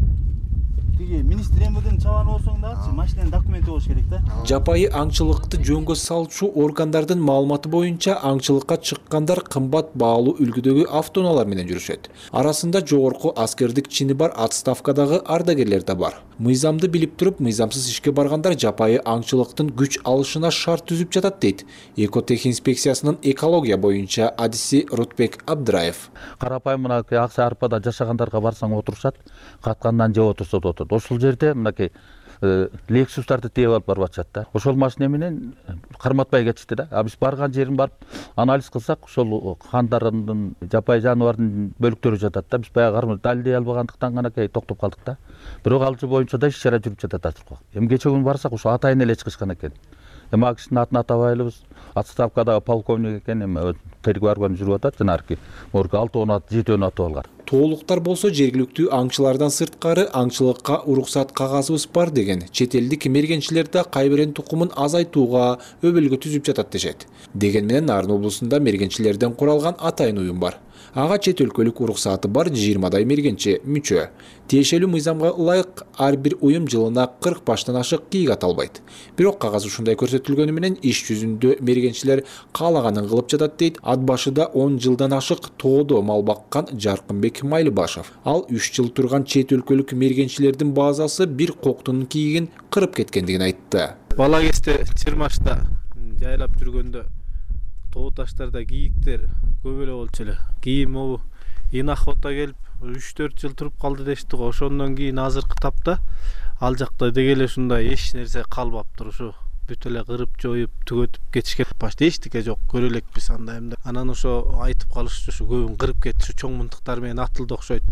тиги министр эмирден чабан болсоң дагы машинанын документи болуш керек да. Жапайы аңчылыкты жөнгө салчу органдардын маалыматы боюнча аңчылыкка чыккандар кымбат баалуу үлгүдөгү автоунаалар менен жүрүшөт. Арасында жогорку аскердик чини бар отставкадагы ардагерлер да бар. Мыйзамды билип туруп, мыйзамсыз ишке баргандар жапайы аңчылыктын күч алышына шарт түзүп жатат дейт Экотех инспекциясынын экология боюнча адиси Рутбек Абдыраев. Карапайым мынакей ак арпада жашагандарга барсаң отурушат, каткандан жеп отурса да отурат. Ошол жерде мынакей Лексустарды тээп алып барып атышат да. Ошол машина менен карматпай кетишти да. А биз барган жерин барып анализ кылсак, ошол кандардын жапайы жаныбардын бөлүктөрү жатат да. Биз баягы далилдей албагандыктан ганакей токтоп калдык да. Бирок ал боюнча да иш чара жүрүп жатат азыр. Эми кече күнү барсак ошо атайын эле чыгышкан экен. Эми ал кишинин атын атабайлыбыз. Отставкадагы полковник экен, эми тергөө органы жүрүп атат. Жанагы морга алтоо жетөөнү атып алган. Тоолуктар болсо жергиликтүү аңчылардан сырткары аңчылыкка уруксат кагазыбыз бар деген чет элдик мергенчилер да Кайберен тукумун азайтууга өбөлгө түзүп жатат дешет. Деген менен Нарын облусунда мергенчилерден куралган атайын уюм бар. Ага чет өлкөлүк уруксаты бар жыйырмадай мергенчи мүчө. Тиешелүү мыйзамга ылайык ар бир уюм жылына кырк баштан ашык кийик ата албайт. Бирок кагаз ушундай көрсөтүлгөнү менен иш жүзүндө мергенчилер каалаганын кылып жатат дейт ат башыда он жылдан ашык тоодо мал баккан Жаркынбек Майлыбашев. Ал үч жыл турган чет өлкөлүк мергенчилердин базасы бир коктунун кийигин кырып кеткендигин айтты. Бала кезде Чырмашта жайлап жүргөндө тоо таштарда кийиктер көп эле болчу эле. Кийин могу ин охота келип үч төрт жыл туруп калды дешти го. Ошондон кийин азыркы тапта ал жакта деги эле ушундай эч нерсе калбаптыр. Ушу бүт эле кырып жоюп түгөтүп кетишкен. Башта эчтеке жок, көрө элекпиз андай эмне. Анан ошо айтып калышчу, ушу көбүн кырып кетти, чоң мынтыктар менен атылды окшойт.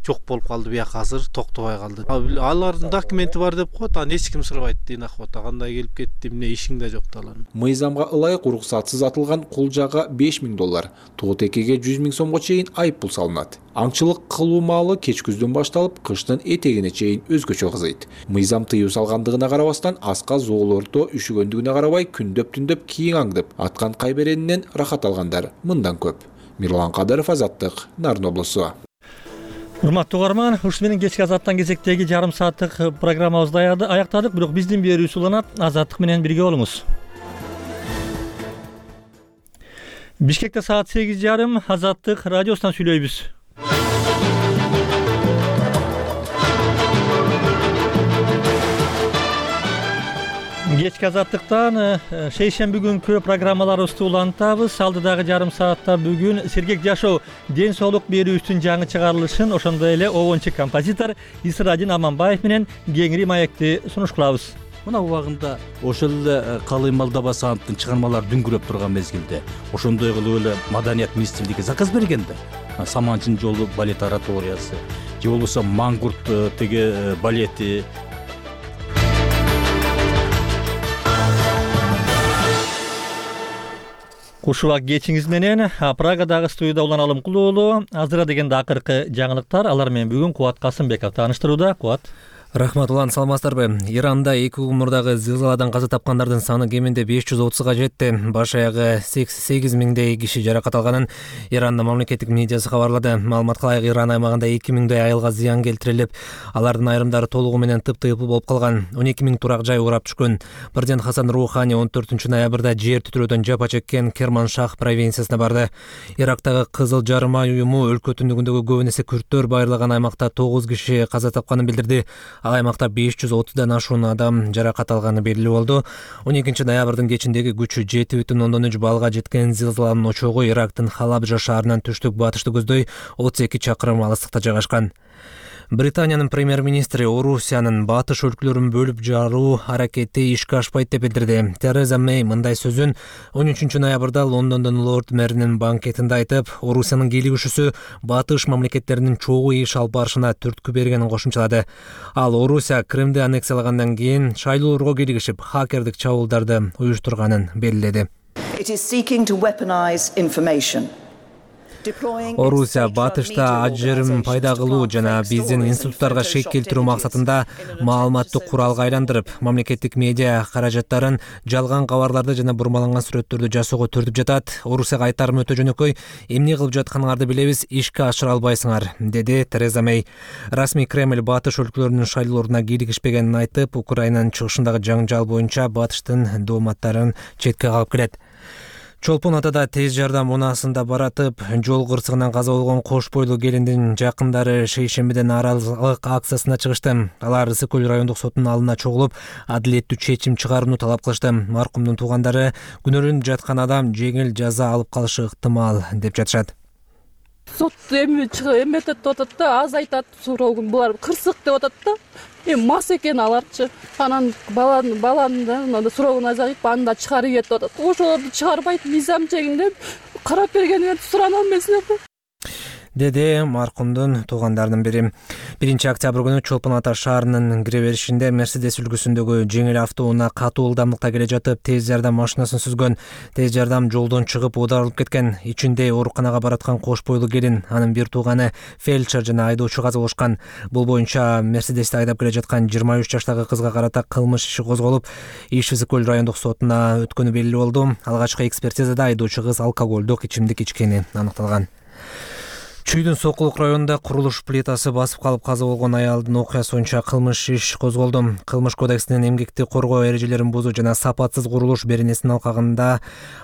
Жок болуп калды бияка, азыр токтобой калды. Алардын документи бар деп коет, аны эч ким сурабайт дейт акыбата. Кандай келип кетти, эмне ишиң да жок да алардын. Мыйзамга ылайык уруксатсыз атылган кулжага беш миң доллар, туутекеге жүз миң сомго чейин айып пул салынат. Аңчылык кылуу маалы кеч күздөн башталып, кыштын этегине чейин өзгөчө кызыйт. Мыйзам тыюу салгандыгына карабастан, аска зоолордо үшүгөндүгүнө карабай күндөп-түндөп кийин аңдып, аткан кайберенинен рахат алгандар мындан көп. Мирлан Кадыров, Азаттык, Нарын облусу. Урматтуу угарман, ушул менен кечки Азаттан кезектеги жарым сааттык программабызды аяктадык, бирок биздин берүүбүз уланат. Азаттык менен бирге болуңуз. Бишкекте саат сегиз жарым Азаттык радиосунан сүйлөйбүз. Кечки Азаттыктан шейшемби күнкү программаларыбызды улантабыз. Алдыдагы жарым саатта бүгүн сергек жашоо ден соолук берүүбүздүн жаңы чыгарылышын, ошондой эле обончу композитор Исрадин Аманбаев менен кеңири маекти сунуш кылабыз. Мына убагында ошол эле Калый Малдабасановдун чыгармалары дүңгүрөп турган мезгилде ошондой кылып эле маданият министрлиги заказ берген да. Саманчынын жолу балет ораториясы, же болбосо Мангурт теге балети. Ушуга кечиңиз менен Прагадагы студияда уланалым кулуулу. Азыра дегенде акыркы жаңылыктар, алар менен бүгүн Кубат Касымбеков тааныштырууда. Кубат. Рахмат, улан, саламатсыздарбы? Иранда эки күн мурдагы зылзаладан каза тапкандардын саны кеминде беш жүз отузга жетти. Баш аягы сегиз миңдей киши жаракат алганын Ирандын мамлекеттик медиасы кабарлады. Маалыматка ылайык, Иран аймагында эки миңдей айылга зыян келтирилип, алардын айрымдары толугу менен тыптыйпыл болуп калган. он эки миң турак жай урап түшкөн. Президент Хасан Рухани он төртүнчү ноябрда жер титирөөдөн жапа чеккен Керманшах провинциясына барды. Ирактагы Кызыл Жарым ай уюму өлкө түндүгүндөгү көп эсе күрттөр байырлаган аймакта тогуз киши каза тапканын билдирди. Ал аймакта беш жүз отуздан ашуун адам жаракат алганы белгилүү болду. он экинчи ноябрдын кечиндеги күчү жети бүтүн ондон үч баллга жеткен зылзаланын очогу Ирактын Халабжа шаарынан түштүк батышты көздөй отуз эки чакырым алыстыкта жайгашкан. Британиянын премьер-министри Орусиянын батыш өлкөлөрүн бөлүп жаруу аракети ишке ашпайт деп билдирди. Тереза Мэй мындай сөзүн он үчүнчү ноябрда Лондондон Лорд мэринин банкетинде айтып, Орусиянын кийлигишүүсү батыш мамлекеттеринин чогуу иш алып барышына түрткү бергенин кошумчалады. Ал Орусия Кримди аннексиялагандан кийин шайлоолорго кийлигишип, хакердик чабуулдарды уюштурганын белгиледи. Орусия батышта ажырым пайда кылуу жана биздин институттарга шек келтирүү максатында маалыматтык куралга айландырып, мамлекеттик медиа каражаттарын жалган кабарларды жана бурмаланган сүрөттөрдү жасоого түртүп жатат. Орусияга айтарым өтө жөнөкөй, эмне кылып жатканыңарды билебиз, ишке ашыра албайсыңар, деди Тереза Мэй. Расмий Кремль батыш өлкөлөрүнүн шайлоолоруна кийлигишпегенин айтып, Украинанын чыгышындагы жаңжал боюнча батыштын дооматтарын четке кагып келет. Чолпон Атада тез жардам унаасында баратып, жол кырсыгынан каза болгон кош бойлуу келиндин жакындары шейшембиден нааразылык акциясына чыгышты. Алар Ысык көл райондук соттун алдына чогулуп, адилеттүү чечим чыгарууну талап кылышты. Маркумдун туугандары күнөөлөнүп жаткан адам жеңил жаза алып калышы ыктымал деп жатышат. Сот эми эметет деп атат да, аз айтат, суроогун булар кырсык деп атат да. Эми мас экен аларчы. Анан баланы баланы суроогун азайып, аны да чыгарып ийет деп атат. Ошолорду чыгарбайт, мыйзам жегинде карап бергенин сурана алмайсыңарбы? Деди маркумдун туугандарынын бири. биринчи октябрь күнү Чолпон Ата шаарынын кире беришинде Мерседес үлгүсүндөгү жеңил автоунаа катуу ылдамдыкта келе жатып, тез жардам машинасын сүзгөн. Тез жардам жолдон чыгып оодарылып кеткен. Ичинде ооруканага бараткан кош бойлуу келин, анын бир тууганы фельдшер жана айдоочу каза болушкан. Бул боюнча Мерседести айдап келе жаткан жыйырма үч жаштагы кызга карата кылмыш иши козголуп, иш Ысык көл райондук сотуна өткөнү белгилүү болду. Алгачкы экспертизада айдоочу кыз алкоголдук ичимдик ичкени аныкталган. Чүйдүн Сокулук районунда курулуш плитасы басып калып каза болгон аялдын окуясы боюнча кылмыш иш козголду. Кылмыш кодексинин эмгекти коргоо эрежелерин бузуу жана сапатсыз курулуш беренесинин алкагында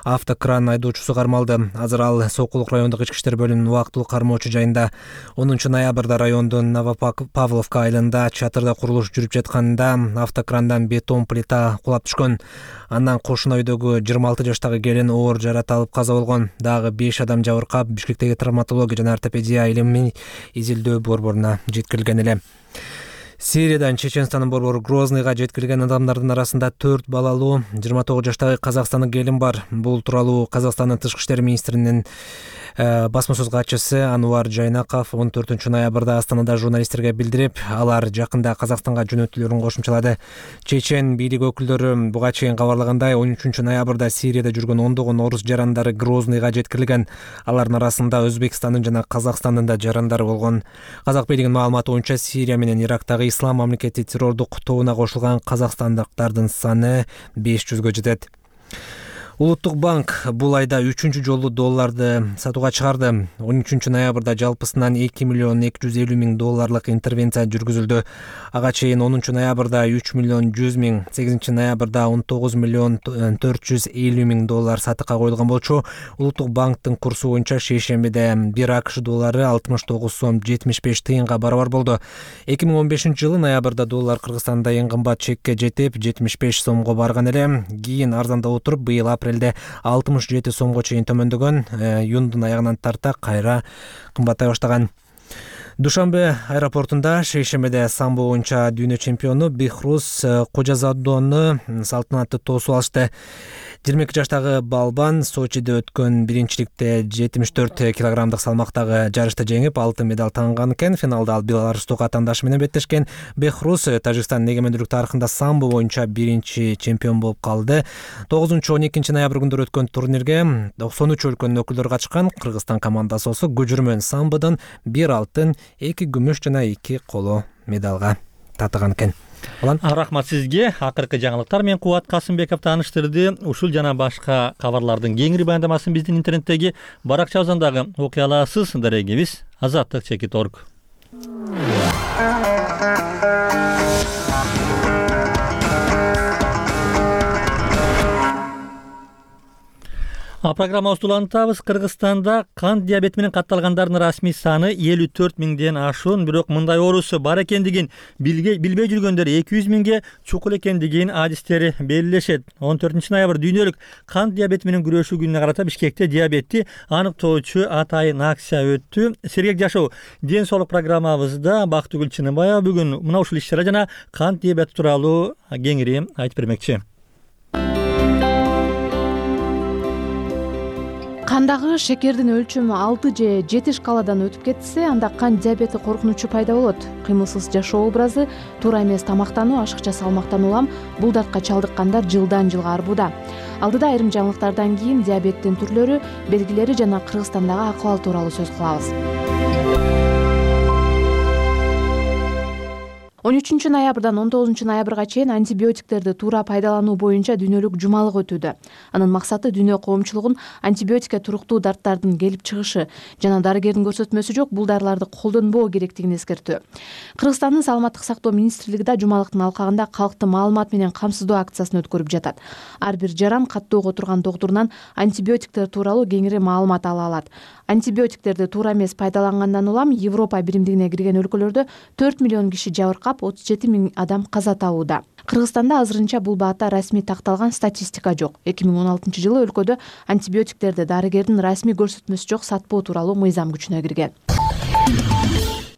автокран айдоочусу кармалды. Азыр ал Сокулук райондук ички иштер бөлүмүнүн убактылуу кармоочу жайында. онунчу ноябрда райондун Новопавловка айылында чатырда курулуш жүрүп жатканда автокрандан бетон плита кулап түшкөн. Андан кошуна үйдөгү жыйырма алты жаштагы келин оор жарат алып каза болгон. Дагы беш адам жабыркап Бишкектеги травматология жана ортопедия илимий изилдөө борборуна жеткирилген эле. Сириядан Чеченстандын борбору Грозныйга жеткирилген адамдардын арасында төрт балалуу жыйырма тогуз жаштагы казакстандык келин бар. Бул тууралуу Казакстандын тышкы иштер министринин басма сөз катчысы Ануар Жайнаков он төртүнчү ноябрда Астанада журналисттерге билдирип, алар жакында Казакстанга жөнөтүлөрүн кошумчалады. Чечен бийлик өкүлдөрү буга чейин кабарлагандай, он үчүнчү ноябрда Сирияда жүргөн ондогон орус жарандары Грозныйга жеткирилген. Алардын арасында Өзбекстандын жана Казакстандын да жарандары болгон. Казак бийлигинин маалыматы боюнча Сирия менен Ирактагы Ислам мамлекети террордук тобуна кошулган казакстандыктардын саны беш жүзгө жетет. Улуттук банк бул айда үчүнчү жолу долларды сатууга чыгарды. он үчүнчү ноябрда жалпысынан эки миллион эки жүз элүү миң долларлык интервенция жүргүзүлдү. Ага чейин онунчу ноябрда үч миллион жүз миң, сегизинчи ноябрда он тогуз миллион төрт жүз элүү миң доллар сатыкка коюлган болчу. Улуттук банктын курсу боюнча шейшембиде бир АКШ доллары алтымыш тогуз сом жетимиш беш тыйынга барабар болду. эки миң он бешинчи жылы ноябрда доллар Кыргызстанда эң кымбат чекке жетип жетимиш беш сомго барган эле. Кийин арзандап отуруп быйыл апрелде алтымыш жети сомго чейин төмөндөгөн, июндун аягынан тарта кайра кымбаттай баштаган. Душанбе аэропортунда шейшембиде самбо боюнча дүйнө чемпиону Бехрус Кожазадону салтанаттуу тоосуп алышты. жыйырма эки жаштагы балбан Сочиде өткөн биринчиликте жетимиш төрт килограммдык салмактагы жарышта жеңип, алтын медаль таңган экен. Финалда ал беларустук атаандашы менен беттешкен. Бехрус Тажикстандын эгемендүүлүк тарыхында самбо боюнча биринчи чемпион болуп калды. тогузунчу он экинчи ноябрь күндөрү өткөн турнирге токсон үч өлкөнүн өкүлдөрү катышкан. Кыргызстан командасы болсо көчүрмөн самбодон бир алтын, эки күмүш жана эки коло медалга татыган экен. Рахмат сизге. Акыркы жаңылыктар менен Кубат Касымбеков тааныштырды. Ушул жана башка кабарлардын кеңири баяндамасын биздин интернеттеги баракчабыздан дагы окуй аласыз. Дарегибиз азаттык чекит точка орг. А программабызды улантабыз. Кыргызстанда кант диабети менен катталгандардын расмий саны элүү төрт миңден ашуун, бирок мындай оорусу бар экендигин билбей жүргөндөр эки жүз миңге чукул экендигин адистери белгилешет. он төртүнчү ноябрь дүйнөлүк кант диабети менен күрөшүү күнүнө карата Бишкекте диабетти аныктоочу атайын акция өттү. Сергек жашоо ден соолук программабызда Бактыгүл Чыныбаева бүгүн мына ушул иш-чара жана кант диабети тууралуу кеңири айтып бермекчи. Кандагы шекердин өлчөмү алты же жети шкаладан өтүп кетсе, анда кант диабети коркунучу пайда болот. Кыймылсыз жашоо образы, туура эмес тамактануу, ашыкча салмактан улам бул дартка чалдыккандар жылдан жылга арбууда. Алдыда айрым жаңылыктардан кийин диабеттин түрлөрү, белгилери жана Кыргызстандагы акыбал тууралуу сөз кылабыз. он үчүнчү ноябрдан он тогузунчу ноябрга чейин антибиотиктерди туура пайдалануу боюнча дүйнөлүк жумалык өтүүдө. Анын максаты дүйнө коомчулугун антибиотикке туруктуу дарттардын келип чыгышы жана дарыгердин көрсөтмөсү жок бул дарыларды колдонбоо керектигин эскертүү. Кыргызстандын саламаттык сактоо министрлиги да жумалыктын алкагында калкты маалымат менен камсыздоо акциясын өткөрүп жатат. Ар бир жаран каттоого турган доктурунан антибиотиктер тууралуу кеңири маалымат ала алат. Антибиотиктерди туура эмес пайдалангандан улам Европа биримдигине кирген өлкөлөрдө төрт миллион киши жабыркап, отуз жети миң адам каза табууда. Кыргызстанда азырынча бул баатта расмий такталган статистика жок. эки миң он алтынчы жылы өлкөдө антибиотиктерди дарыгердин расмий көрсөтмөсү жок сатпоо тууралуу мыйзам күчүнө кирген.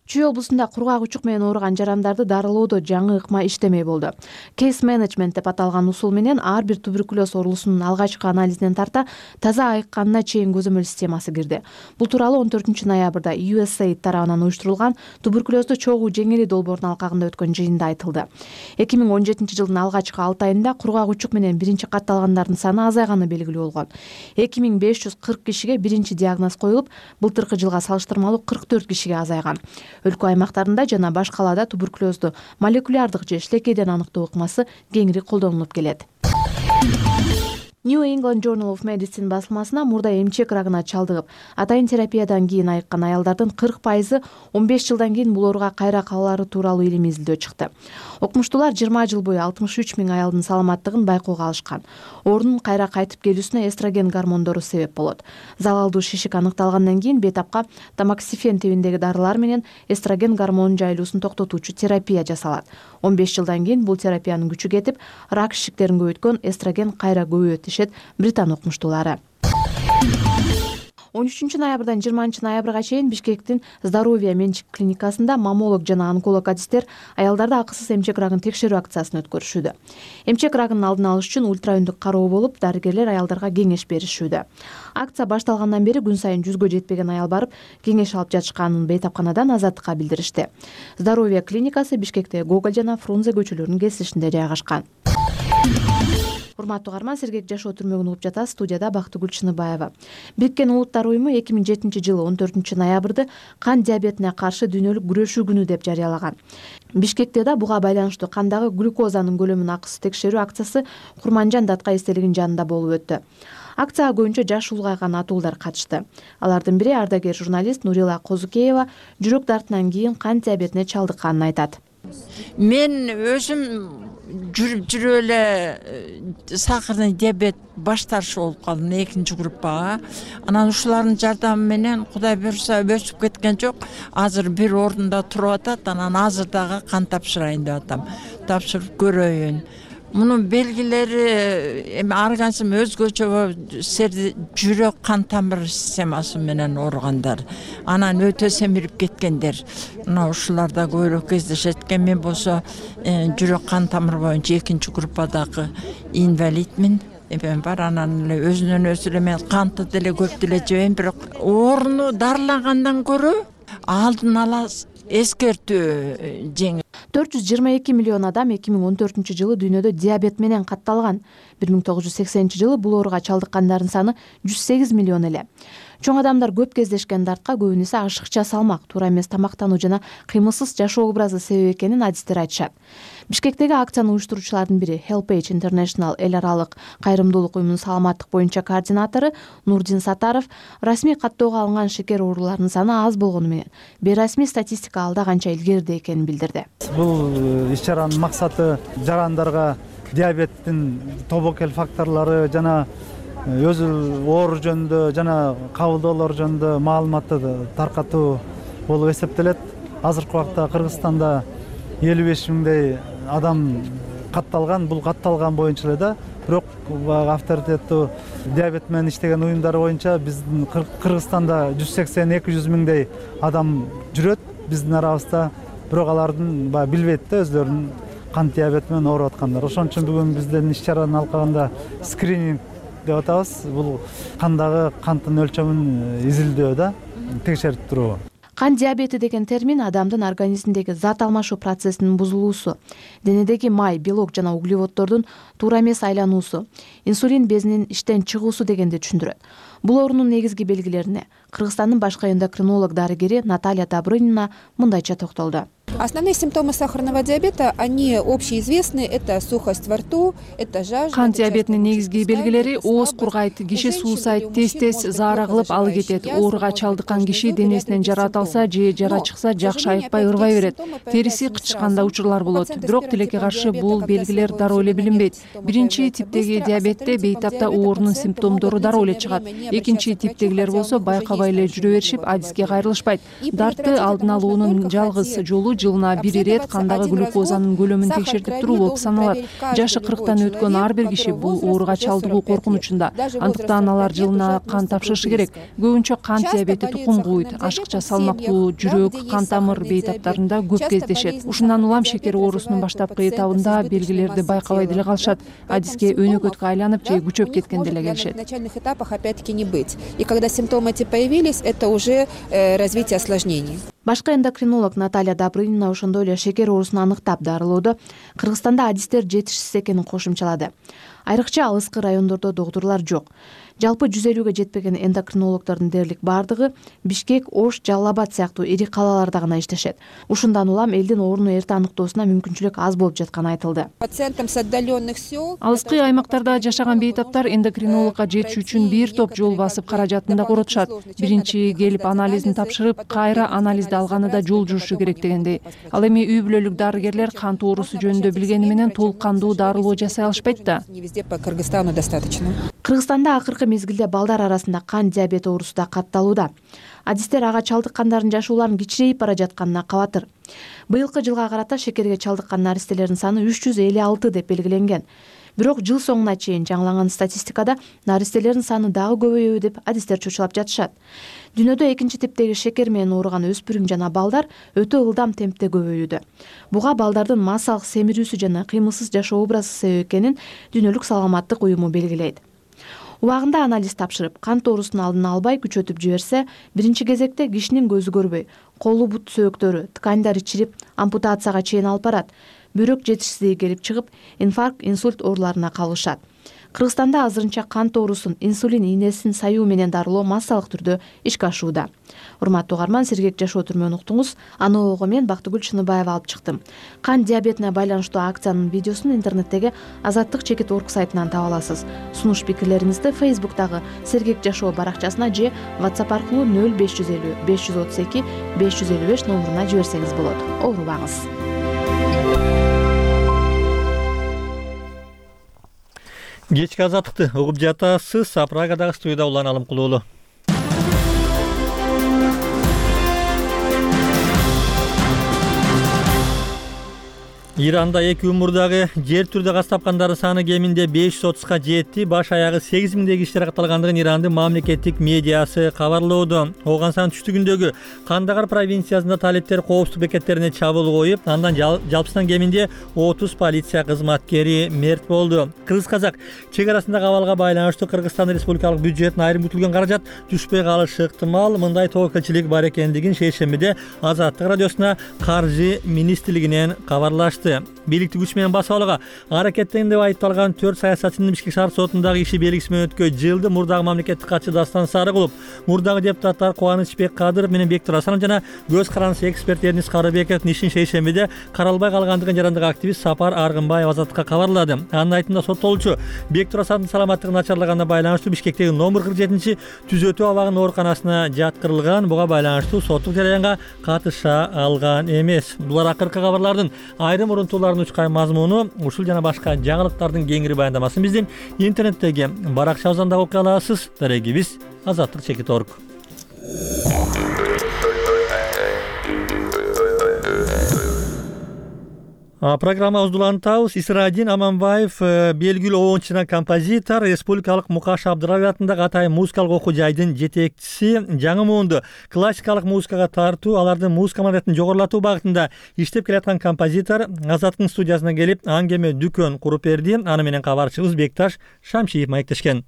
Чүй облусунда кургак учук менен ооруган жарандарды дарылоодо жаңы ыкма иштемей болду. Case management деп аталган усул менен ар бир туберкулез оорусунун алгачкы анализинен тарта таза айыкканына чейин көзөмөл системасы кирди. Бул тууралуу он төртүнчү ноябрда ю эс эй тарабынан уюштурулган туберкулезду чогуу жеңили долбоорунун алкагында өткөн жыйында айтылды. эки миң он жетинчи жылдын алгачкы алты айында кургак учук менен биринчи катталгандардын саны азайганы белгилүү болгон. эки миң беш жүз кырк кишиге биринчи диагноз коюлуп, былтыркы жылга салыштырмалуу кырк төрт кишиге азайган. Өлкө аймактарында жана баш калаада туберкулезду молекулярдык же шилекейден аныктоо ыкмасы кеңири колдонулуп келет. New England Journal of Medicine басылмасына мурда эмчек рагына чалдыгып, атайын терапиядан кийин айыккан аялдардын кырк пайызы он беш жылдан кийин бул ооруга кайра калуулары тууралуу илимий изилдөө чыкты. Окумуштуулар жыйырма жыл бою алтымыш үч миң аялдын саламаттыгын байкоого алышкан. Оорунун кайра кайтып келүүсүнө эстроген гормондору себеп болот. Залалдуу шишик аныкталгандан кийин бетапка тамоксифен тибиндеги дарылар менен эстроген гормонунун жайылуусун токтотуучу терапия жасалат. он беш жылдан кийин бул терапиянын күчү кетип, рак шишиктерин көбөйткөн эстроген кайра көбөйөт дешет Британ окумуштуулары. он үчүнчү ноябрдан жыйырманчы ноябрга чейин Бишкектин Здоровье менчик клиникасында маммолог жана онколог адистер аялдарда акысыз эмчек рагын текшерүү акциясын өткөрүшүүдө. Эмчек рагынын алдын алыш үчүн ультраүндүк кароо болуп, дарыгерлер аялдарга кеңеш беришүүдө. Акция башталгандан бери күн сайын жүзгө жетпеген аял барып кеңеш алып жатышканын бейтапканадан Азаттыкка билдиришти. Здоровье клиникасы Бишкекте Гоголь жана Фрунзе көчөлөрүнүн кесилишинде жайгашкан. Урматтуу угарман, Сергек жашоо түрмөгүн угуп жатасыз. Студияда Бактыгүл Чыныбаева. Бириккен Улуттар уюму эки миң жетинчи жылы он төртүнчү ноябрды кан диабетине каршы дүйнөлүк күрөшүү күнү деп жарыялаган. Бишкекте да буга байланыштуу кандагы глюкозанын көлөмүн акысыз текшерүү акциясы Курманжан Датка эстелигинин жанында болуп өттү. Акцияга көбүнчө жаш улгайган атуулдар катышты. Алардын бири ардагер журналист Нурила Козукеева жүрөк дартынан кийин кан диабетине чалдыкканын айтат. Мен өзүм жүрүп жүрүп эле сахарный диабет баштаршы болуп калдым экинчи группага. Анан ушулардын жардамы менен Кудай буйруса өсүп кеткен жок. Азыр бир ордунда туруп атат. Анан азыр дагы кан тапшырайын деп атам. Тапшырып көрөйүн. Мунун белгилери эми организм өзгөчө жүрөк кан тамыр системасы менен ооругандар, анан өтө семирип кеткендер. Мына ушуларда көбүрөөк кездешет экен. Мен болсо жүрөк кан тамыр боюнча экинчи группадагы инвалидмин. Эпем бар, анан эле өзүнөн өзү эле мен канты деле көп деле жебейм, бирок ооруну дарылагандан көрө алдын ала эскертүү жеңил. төрт жүз жыйырма эки миллион адам эки миң он төртүнчү жылы дүйнөдө диабет менен катталган. бир миң тогуз жүз сексенинчи жылы бул ооруга чалдыккандардын саны жүз сегиз миллион эле. Чоң адамдар көп кездешкен дартка көбүнесе ашыкча салмак, туура эмес тамактануу жана кыймылсыз жашоо образы себеп экенин адистер айтышат. Бишкектеги акцияны уюштуруучулардын бири Helpage International эл аралык кайрымдуулук уюмунун саламаттык боюнча координатору Нурдин Сатаров расмий каттоого алынган шекер ооруларынын саны аз болгону менен бейрасмий статистика алда канча илгерide экенин билдирди. Бул иш-чаранын максаты жарандарга диабеттин тобокел факторлору жана өзү оору жөнүндө жана кабылдоолор жөнүндө маалыматты таркатуу болуп эсептелет. Азыркы убакта Кыргызстанда элүү беш миңдей адам катталган. Бул катталган боюнча эле да, бирок авторитеттүү диабет менен иштеген уюмдар боюнча биздин Кыргызстанда жүз сексен эки жүз миңдей адам жүрөт биздин арабызда, бирок алардын баягы билбейт да өзлөрүнүн кант диабети менен ооруп аткандар. Ошон үчүн бүгүн биздин иш-чаранын алкагында скрининг деп атабыз. Бул кандагы канттын өлчөмүн изилдөө да, текшерип туруу. Кан диабети деген термин адамдын организминдеги зат алмашуу процессинин бузулуусу, денедеги май, белок жана углеводдордун туура эмес айлануусу, инсулин безинин иштен чыгуусу дегенди түшүндүрөт. Бул оорунун негизги белгилерине Кыргызстандын башкы эндокринолог дарыгери Наталья Добрынина мындайча токтолду. Основные симптомы сахарного диабета, они общеизвестны. Это сухость во рту, это жажда. Кан диабетинин негизги белгилери ооз кургайт, киши суусайт, тез-тез заара кылып алы кетет. Ооруга чалдыккан киши денесинен жара аталса же жара чыкса жакшы айыкпай ырбай берет. Териси кычышканда учурлар болот. Бирок тилекке каршы бул белгилер дароо эле билинбейт. Биринчи типтеги диабетте бейтапта оорунун симптомдору дароо эле чыгат. Экинчи типтегилер болсо байкабай эле жүрө беришип, адиске кайрылышпайт. Дартты алдын алуунун жалгыз жолу жылына бир ирет кандагы глюкозанын көлөмүн текшертип туруу болуп саналат. Жашы кырктан өткөн ар бир киши бул ооруга чалдыгуу коркунучунда. Андыктан алар жылына кан тапшырышы керек. Көбүнчө кант диабети тукум кууйт, ашыкча салмактуу, жүрөк, кан тамыр бейтаптарында көп кездешет. Ушундан улам шекер оорусунун баштапкы этабында белгилерди байкабай деле калышат. Адиске өнөкөткө айланып же күчөп кеткен деле келишет. На начальных этапах опять-таки не быть. И когда симптомы эти появились, это уже развитие осложнений. Башкы эндокринолог Наталья Добрынина ошондой эле шекер оорусун аныктап дарылоодо Кыргызстанда адистер жетишсиз экенин кошумчалады. Айрыкча алыскы райондордо доктурлар жок. Жалпы жүз элүүгө жетпеген эндокринологдордун дээрлик бардыгы Бишкек, Ош, Жалал Абад сыяктуу ири калаларда гана иштешет. Ушундан улам элдин ооруну эрте аныктоосуна мүмкүнчүлүк аз болуп жатканы айтылды. Пациентам с отдаленных сел. Алыскы аймактарда жашаган бейтаптар эндокринологко жетиш үчүн бир топ жол басып каражатын да коротушат. Биринчи келип анализин тапшырып, кайра анализди алганыда жол журушу керек дегендей. Ал эми үй бүлөлүк дарыгерлер кант оорусу жөнүндө билгени менен толук кандуу дарылоо жасай алышпайт да. Не везде по Кыргызстану достаточно. Кыргызстанда акыркы мезгилде балдар арасында кан диабети оорусу да катталууда. Адистер ага чалдыккандардын жашооларынын кичирейип бара жатканына кабатыр. Быйылкы жылга карата шекерге чалдыккан наристелердин саны үч жүз элүү алты деп белгиленген. Бирок жыл соңуна чейин жаңыланган статистикада наристелердин саны дагы көбөйөбү деп адистер чочулап жатышат. Дүйнөдө экинчи типтеги шекер менен ооруган өспүрүм жана балдар өтө ылдам темпте көбөйүүдө. Буга балдардын массалык семирүүсү жана кыймылсыз жашоо образы себеп экенин Дүйнөлүк саламаттык уюму белгилейт. Убагында анализ тапшырып, кант оорусунун алдын албай күчөтүп жиберсе, биринчи кезекте кишинин көзү көрбөй, колу бут сөөктөрү, тканьдары чирип, ампутацияга чейин алып барат. Бөйрөк жетишсиздиги келип чыгып, инфаркт, инсульт ооруларына кабылышат. Кыргызстанда азырынча кант оорусун инсулин ийнесин саюу менен дарылоо массалык түрдө ишке ашууда. Урматтуу угарман, Сергек жашоо түрмөн уктуңуз. Аны ого мен Бактыгүл Чыныбаева алып чыктым. Кант диабетине байланыштуу акциянын видеосун интернеттеги азаттык чекит орг сайтынан таба аласыз. Сунуш пикирлериңизди Facebook'тагы Сергек жашоо баракчасына же WhatsApp аркылуу нөл беш жүз элүү беш жүз отуз эки беш жүз элүү беш номуруна жиберсеңиз болот. Оорубаңыз. Кечки азаттыкты угуп жатасыз. Прагадагы студияда Улан Алымкулуулу. Иранда эки умурдагы жер түрдө каз тапкандардын саны кеминде беш жүз отузга жетти. Баш аягы сегиз миңдеги кишилер катталгандыгын Ирандын мамлекеттик медиасы кабарлоодо. Ооган түштүгүндөгү Кандагар провинциясында талиптер коопсуздук бекеттерине чабуул коюп, андан жалпысынан кеминде отуз полиция кызматкери мерт болду. Кыргыз казак чек арасындагы абалга байланыштуу Кыргызстан Республикалык бюджетине айрым күтүлгөн каражат түшпөй калышы ыктымал. Мындай тобокелчилик бар экендигин шейшембиде Азаттык радиосуна каржы министрлигинен кабарлашты. Бийликти күч менен басып алууга аракеттенген деп айыпталган төрт саясатчынын Бишкек шаар сотундагы иши белгиси менен өткөн жылды мурдагы мамлекеттик катчы Дастан Сарыгулов, мурдагы депутаттар Кубанычбек Кадыров менен Бектур Асанов жана көз карандысы эксперт Эрнис Карыбековдун ишин шейшембиде каралбай калгандыгын жарандык активист Сапар Аргынбаев Азаттыкка кабарлады. Анын айтымында соттолуучу Бектур Асановдун саламаттыгы начарлаганына байланыштуу Бишкектеги номер кырк жетинчи түзөтүү абагынын ооруканасына жаткырылган. Буга байланыштуу соттук жараянга катыша алган эмес. Булар акыркы кабарлардын айрым урунтуулардын учкай мазмуну. Ушул жана башка жаңылыктардын кеңири баяндамасын биздин интернеттеги баракчабыздан да окуй аласыз. Дарегибиз азаттык чекит орг. Программабызды улантабыз. Исрадин Аманбаев белгилүү оончу жана композитор, Республикалык Мукаш Абдырабек атындагы Атайын музыкалык окуу жайдын жетекчиси. Жаңы муунду классикалык музыкага тартуу, алардын музыка маданиятын жогорулатуу багытында иштеп келаткан композитор Азаттыктын студиясына келип, аңгеме дүкөн куруп берди. Аны менен кабарчыбыз Бекташ Шамшиев маектешкен.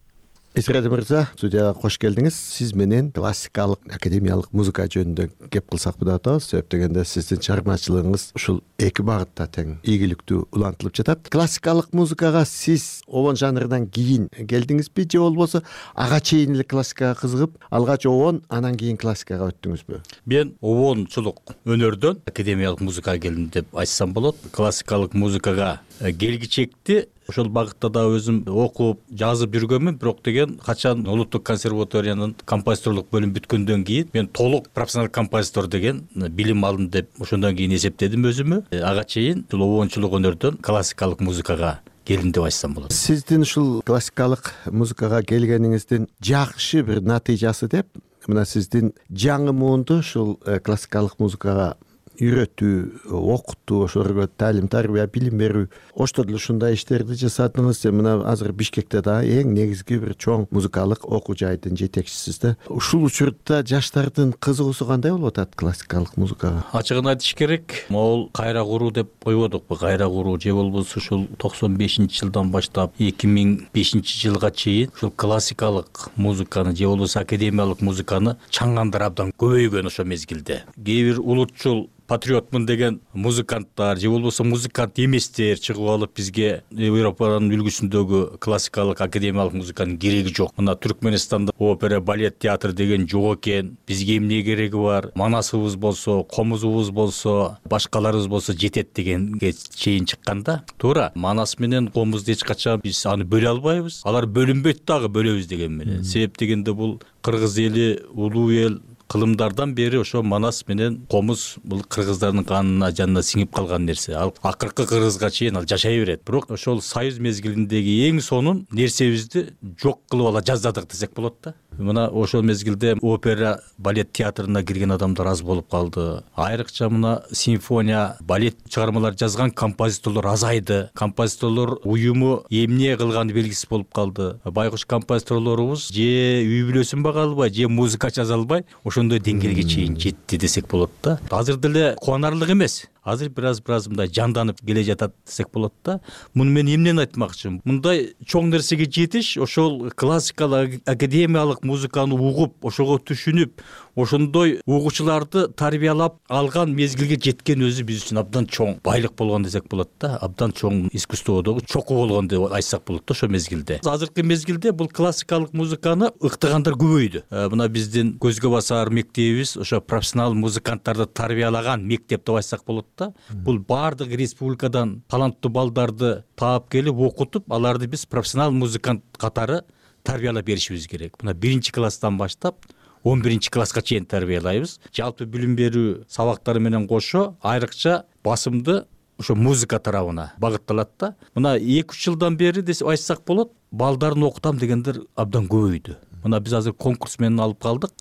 Исрадин мырза, студияга кош келдиңиз. Сиз менен классикалык, академиялык музыка жөнүндө кеп кылсак деп атабыз. Себеп дегенде сиздин чыгармачылыгыңыз ушул эки багытта тең ийгиликтүү улантылып жатат. Классикалык музыкага сиз овон жанрынан кийин келдиңизби же болбосо ага чейин эле классикага кызыгып, алгач овон, анан кийин классикага өттүңүзбү? Мен овончулук өнөрдөн академиялык музыкага келдим деп айтсам болот. Классикалык музыкага келгичекти ошол багытта да өзүм окуп, жазып жүргөнмүн, бирок деген качан улуттук консерваториянын композиторлук бөлүмү бүткөндөн кийин мен толук профессионал композитор деген билим алдым деп ошондон кийин эсептедим өзүмө. Ага чейин ушул обончулук өнөрдөн классикалык музыкага келдим деп айтсам болот. Сиздин ушул классикалык музыкага келгениңиздин жакшы бир натыйжасы деп, мына сиздин жаңы муунду ушул классикалык музыкага үйрөтүү, окутуу, ошолорго таалим тарбия, билим берүү, ошто деле ушундай иштерди жасадыңыз. Мына азыр Бишкекте да эң негизги бир чоң музыкалык окуу жайдын жетекчисиз да. Ушул учурда жаштардын кызыгуусу кандай болуп атат классикалык музыкага? Ачыгын айтыш керек, могул кайра куруу деп койбодукпу? Кайра куруу же болбосо ушул токсон бешинчи жылдан баштап эки миң бешинчи жылга чейин ушул классикалык музыканы же болбосо академиялык музыканы чаңгандар абдан көбөйгөн ошол мезгилде. Кээ бир улутчул патриотмун деген музыканттар же болбосо музыкант эместер чыгып алып бизге Европанын үлгүсүндөгү классикалык академиялык музыканын кереги жок. Мына Түркмөнстанда опера, балет театр деген жок экен. Бизге эмне кереги бар? Манасыбыз болсо, комузубуз болсо, башкаларыбыз болсо жетет дегенге чейин чыкканда, туура Манас менен комузду эч качан биз аны бөлө албайбыз. Алар бөлүнбөйт дагы бөлөбүз деген менен. Себеп дегенде бул кыргыз эли улуу эл, кылымдардан бери ошо манас менен комуз бул кыргыздардын канына жанына сиңип калган нерсе. Ал акыркы кыргызга чейин ал жашай берет. Бирок ошол союз мезгилиндеги эң сонун нерсебизди жок кылып ала жаздадык десек болот да. Мына ошол мезгилде опера, балет театрына кирген адамдар аз болуп калды. Айрыкча мына симфония, балет чыгармалар жазган композиторлор азайды. Композиторлор уюму эмне кылганы белгисиз болуп калды. Байкуш композиторлорубуз же үй бүлөсүн бага албай, же музыка жаза албай ошондой деңгээлге чейин жетти десек болот да. Азыр деле кубанарлык эмес. Азыр бираз бираз мындай жанданып келе жатат десек болот да. Муну мен эмнени айтмакчымын? Мындай чоң нерсеге жетиш ошол классикалык академиялык музыканы угуп, ошого түшүнүп, ошондой угуучуларды тарбиялап алган мезгилге жеткен өзү биз үчүн абдан чоң байлык болгон десек болот да. Абдан чоң искусстводогу чокуу болгон деп айтсак болот да ошол мезгилде. Азыркы мезгилде бул классикалык музыканы ыктыгандар көбөйдү. Мына биздин көзгө басар мектебибиз ошо профессионал музыканттарды тарбиялаган мектеп деп айтсак болот да. Бул бардык республикадан таланттуу балдарды таап келип окутуп, аларды биз профессионал музыкант катары тарбиялап беришибиз керек. Мына биринчи класстан баштап он биринчи класска чейин тарбиялайбыз. Жалпы билим берүү сабактары менен кошо айрыкча басымды ошо музыка тарабына багытталат да. Мына эки үч жылдан бери десип айтсак болот, балдарын окутам дегендер абдан көбөйдү. Мына биз азыр конкурс менен алып калдык.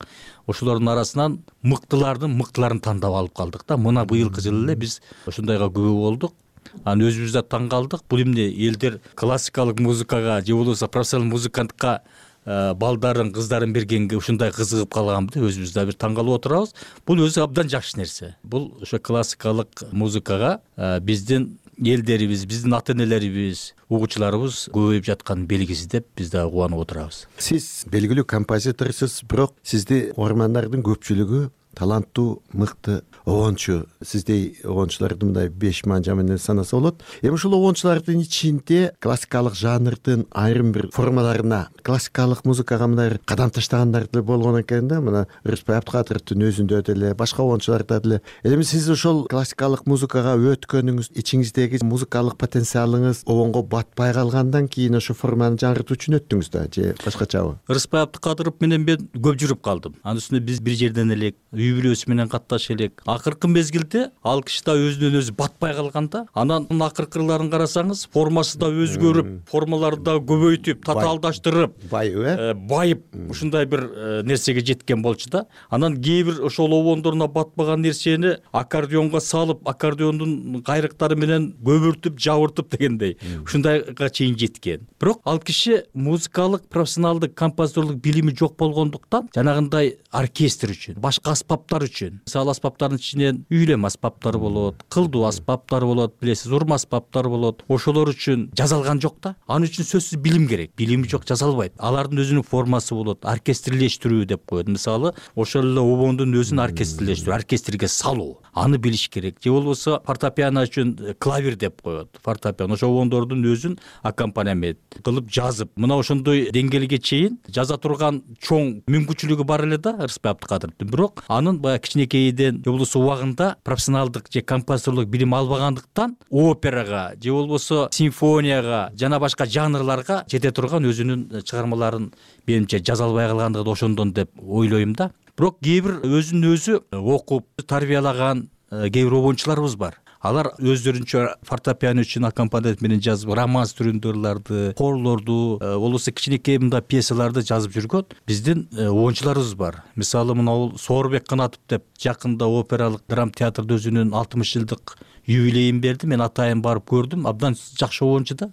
Ошолордун арасынан мыктылардын мыктыларын тандап алып калдык да. Мына быйылкы жылы эле биз ошондойго күбө болдук. Аны өзүбүз да таң калдык. Бул эмне элдер классикалык музыкага же болбосо профессионал музыкантка балдарын, кыздарын бергенге ушундай кызыгып калганбы деп өзүбүз да бир таң калып отурабыз. Бул өзү абдан жакшы нерсе. Бул ошо классикалык музыкага биздин элдерибиз, биздин ата-энелерибиз, угуучуларыбыз көбөйүп жаткан белгиси деп биз да кубанып отурабыз. Сиз белгилүү композиторсуз, бирок сизди угармандардын көпчүлүгү таланттуу, мыкты обончу. Сиздей обончуларды мындай беш манжа менен санаса болот. Эми ушул обончулардын ичинде классикалык жанрдын айрым бир формаларына, классикалык музыкага мындай кадам таштагандар деле болгон экен да. Мына Рыспай Абдыкадыровдун өзүндө деле, башка обончуларда деле. Эми сиз ошол классикалык музыкага өткөнүңүз, ичиңиздеги музыкалык потенциалыңыз обонго батпай калгандан кийин ошо форманы жаңыртуу үчүн өттүңүз да, же башкачабы? Рыспай Абдыкадыров менен мен көп жүрүп калдым. Анын үстүнө биз бир жерден элек, үй бүлөсү менен катташ элек. Акыркы мезгилде ал киши да өзүнөн өзү батпай калганда, анан акыркыларын карасаңыз, формасы да өзгөрүп, формаларды да көбөйтүп, татаалдаштырып, байып, байып ушундай бир нерсеге жеткен болчу да. Анан кээ бир ошол обондоруна батпаган нерсени аккордеонго салып, аккордеондун кайрыктары менен көбүртүп, жабыртып дегендей ушундайга чейин жеткен. Бирок ал киши музыкалык, профессионалдык, композиторлук билими жок болгондуктан жанагындай оркестр үчүн, башка аспаптар үчүн, мисалы аспаптардын ичинен үйлөм аспаптары болот, кылдуу аспаптар болот, билесиз, урма аспаптар болот. Ошолор үчүн жазалган жок да. Анын үчүн сөзсүз билим керек. Билими жок жаза албайт. Алардын өзүнүн формасы болот, оркестрлештирүү деп коет. Мисалы, ошол эле обондун өзүн оркестрлештирүү, оркестрге салуу, аны билиш керек. Же болбосо фортепиано үчүн клавир деп коет. Фортепиано ошо обондордун өзүн аккомпанемент кылып жазып, мына ошондой деңгээлге чейин жаза турган чоң мүмкүнчүлүгү бар эле да Рыспай Абдыкадыровдун. Бирок анын баягы кичинекейден же болбосо убагында профессионалдык же композиторлук билим албагандыктан операга же болбосо симфонияга жана башка жанрларга жете турган өзүнүн чыгармаларын менимче жаза албай калгандыгы да ошондон деп ойлойм да. Бирок кээ бир өзүн өзү окуп тарбиялаган кээ бир обончуларыбыз бар. Алар өздөрүнчө фортепиано үчүн аккомпанемент менен жазып, романс түрүндө ырларды, хорлорду, болбосо кичинекей мындай пьесаларды жазып жүргөн биздин обончуларыбыз бар. Мисалы, мына бул Соорбек Канатов деп жакында опералык драма театрда өзүнүн алтымыш жылдык юбилейин берди. Мен атайын барып көрдүм. Абдан жакшы обончу да.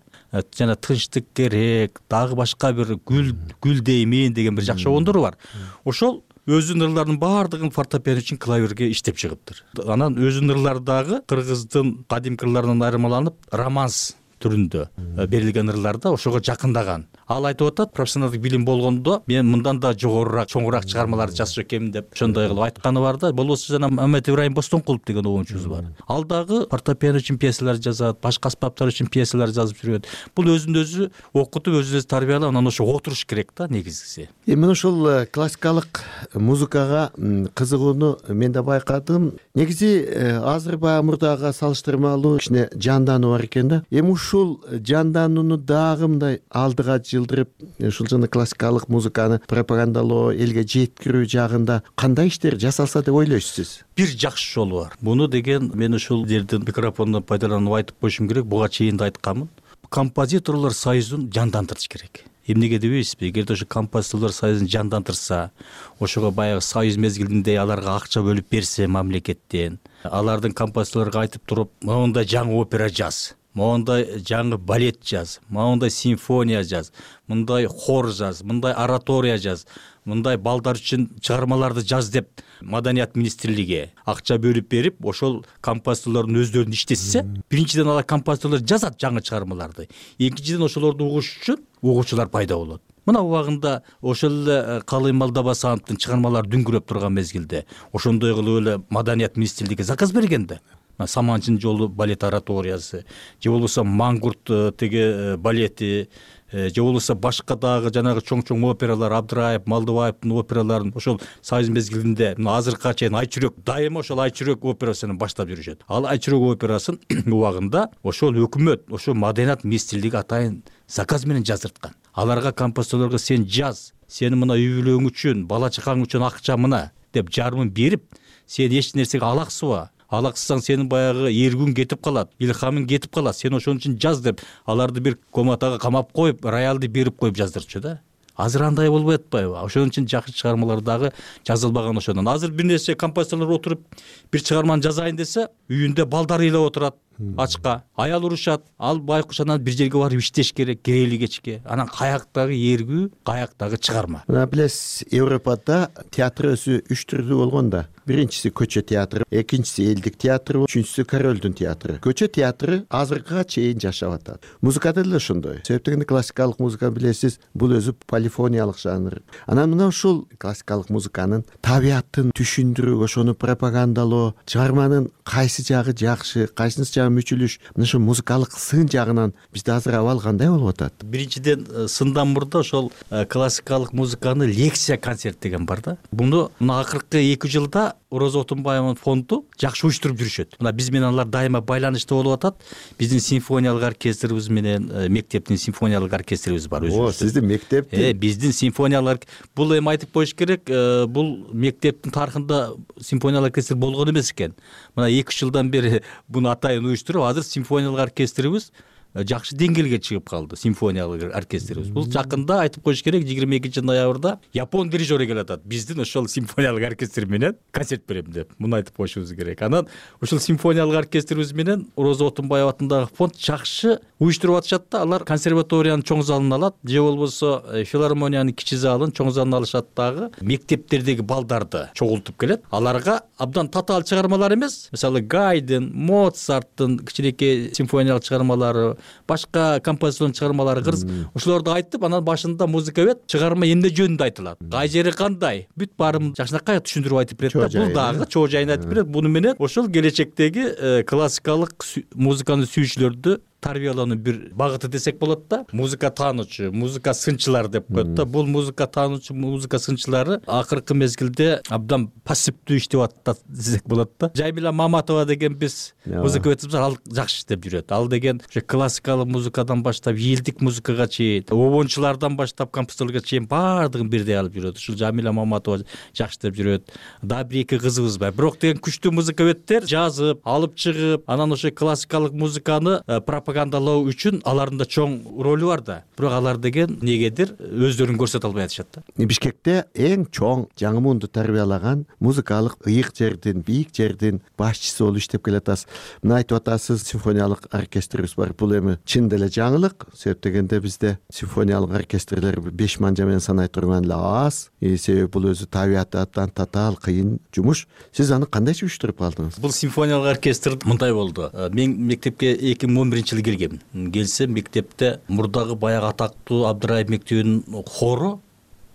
Жана тынчтык керек, дагы башка бир гүл гүл деймин деген бир жакшы обондору бар. Ошол өзүнүн ырларынын баардыгын фортепиано үчүн клавирге иштеп чыгыптыр. Анан өзүнүн ырлары дагы кыргыздын кадимки ырларынан айырмаланып, романс түрүндө берилген ырларда ошого жакындаган. Ал айтып атат, профессионалдык билим болгондо мен мындан да жогорураак, чоңураак чыгармаларды жазчу экенмин деп ошондой кылып айтканы бар да. Болбосо жана Мамед Ибрайым Бостонкулов деген обончубуз бар. Ал дагы фортепиано үчүн пьесалар жазат, башка аспаптар үчүн пьесалар жазып жүрөт. Бул өзүн өзү окутуп, өзүн өзү тарбиялап, анан ошо отуруш керек да негизгиси. Эми ошол классикалык музыкага кызыгууну мен да байкадым. Негизи азыр баягы мурдага салыштырмалуу кичине жандануу бар экен да. Эми ушул жанданууну дагы мындай алдыга жылдырып ушул жана классикалык музыканы пропагандалоо, элге жеткирүү жагында кандай иштер жасалса деп ойлойсуз сиз? Бир жакшы жолу бар. Буну деген мен ушул жерден микрофондон пайдаланып айтып коюшум керек. Буга чейин да айтканмын. Композиторлор союзун жандандырыш керек. Эмнеге дебейсизби? Эгерде ошо композиторлор союзун жандандырса, ошого баягы союз мезгилинде аларга акча бөлүп берсе мамлекеттен, алардын композиторлорго айтып туруп, моундай жаңы опера жаз, моундай жаңы балет жаз, моундай симфония жаз, мындай хор жаз, мындай оратория жаз, мындай балдар үчүн чыгармаларды жаз деп Маданият министрлиги акча бөлүп берип, ошол композиторлордун өздөрүн иштетсе, биринчиден алар композиторлор жазат жаңы чыгармаларды. Экинчиден ошолорду угуш үчүн угуучулар пайда болот. Мына убагында ошол эле Калый Малдабасановдун чыгармалары дүңгүрөп турган мезгилде ошондой кылып эле Маданият министрлиги заказ берген да. Саманчын жолу балет ораториясы, же болбосо Мангурт теге балети, же болбосо башка дагы жанагы чоң-чоң опералар, Абдыраев, Малдыбаевдин операларын ошол союз мезгилинде азыркыга чейин Айчүрөк дайыма ошол Айчүрөк операсын баштап жүрүшөт. Ал Айчүрөк операсын убагында ошол өкмөт, ошол Маданият министрлиги атайын заказ менен жаздырткан. Аларга композиторлорго сен жаз, сени мына үй бүлөң үчүн, бала чакаң үчүн акча мына деп жарымын берип, сен эч нерсеге алаксыба. Алаксысаң сенин баягы эргүүң кетип калат, илхамың кетип калат. Сен ошон үчүн жаз деп аларды бир комнатага камап коюп, роялды берип коюп жаздырчу да. Азыр андай болбой атпайбы? Ошон үчүн жакшы чыгармалар дагы жазылбаган ошондон. Азыр бир нерсе композиторлор отуруп бир чыгарманы жазайын десе, үйүндө балдар ыйлап отурат. Ачка аял урушат, ал байкуш анан бир жерге барып иштеш керек, керели кечке. Анан каяктагы эргүү, каяктагы чыгарма. Мына билесиз, Европада театр өзү үч түрдүү болгон да. Биринчиси көчө театры, экинчиси элдик театры, үчүнчүсү королдун театры. Көчө театры азыркыга чейин жашап атат. Музыкада деле ошондой. Себептен классикалык музыка билесиз, бул өзү полифониялык жанр. Анан мына ушул классикалык музыканын табиятын түшүндүрүү, ошону пропагандалоо, чыгарманын кайсы жагы жакшы, кайсынысы жагы мүчүлүш, мына ошо музыкалык сын жагынан бизде азыр абал кандай болуп атат? Биринчиден сындан мурда ошол классикалык музыканы лекция концерт деген бар да. Буну мына акыркы эки жылда Роза Отунбаеванын фонду жакшы уюштуруп жүрүшөт. Мына биз менен алар дайыма байланышта болуп атат. Биздин симфониялык оркестрибиз менен мектептин симфониялык оркестрибиз бар өзүбүздүн. О, сиздин мектептин? Э, биздин симфониялык бул эми айтып коюш керек, бул мектептин тарыхында симфониялык оркестр болгон эмес экен. Мына эки үч жылдан бери буну атайын уюштуруп, азыр симфониялык оркестрибиз жакшы деңгээлге чыгып калды, симфониялык оркестрибиз. Бул жакында айтып коюш керек, жыйырма экинчи ноябрда Япон дирижеру келатат. Биздин ошол симфониялык оркестр менен концерт берем деп. Муну айтып коюшубуз керек. Анан ошол симфониялык оркестрибиз менен Роза Отунбаева атындагы фонд жакшы уюштуруп атышат да. Алар консерваториянын чоң залын алат, же болбосо филармониянын кичи залын, чоң залын алышат дагы. Мектептердеги балдарды чогултуп келет. Аларга абдан татаал чыгармалар эмес, мисалы Гайден, Моцарттын кичинекей симфониялык чыгармалары, башка композитордун чыгармалары кырс, ошолорду айтып, анан башында музыка бет, чыгарма эмне жөнүндө айтылат, кай жери кандай, бүт баарын жакшынакай түшүндүрүп айтып берет да. Бул дагы чоо жайын айтып берет. Буну менен ошол келечектеги классикалык музыканы сүйүүчүлөрдү тарбиялоонун бир багыты десек болот да. Музыка таануучу, музыка сынчылар деп коет да. Бул музыка таануучу, музыка сынчылары акыркы мезгилде абдан пассивдүү иштеп атат десек болот да. Жаймила Маматова деген биз музыка өтүп ал жакшы иштеп жүрөт. Ал деген ошо классикалык музыкадан баштап элдик музыкага чейин, обончулардан баштап композиторлорго чейин баардыгын бирдей алып жүрөт. Ушул Жамила Маматова жакшы иштеп жүрөт. Дагы бир эки кызыбыз бар. Бирок деген күчтүү музыковедтер жазып, алып чыгып, анан ошо классикалык музыканы пропагандалоо үчүн алардын да чоң ролу бар да. Бирок алар деген негедир өздөрүн көрсөтө албай атышат да. Бишкекте эң чоң жаңы муунду тарбиялаган музыкалык ыйык жердин, бийик жердин башчысы болуп иштеп келатасыз. Мына айтып атасыз, симфониялык оркестрибиз бар. Бул эми чын деле жаңылык. Себеп дегенде бизде симфониялык оркестрлер беш манжа менен санай турган эле аз. Себеби бул өзү табиятынан татаал кыйын жумуш. Сиз аны кандайча уюштуруп калдыңыз? Бул симфониялык оркестр мындай болду. Мен мектепке эки миң он биринчи жылы келгем. Келсем мектепте мурдагы баягы атактуу Абдыраев мектебинин хору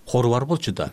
хору бар болчу да.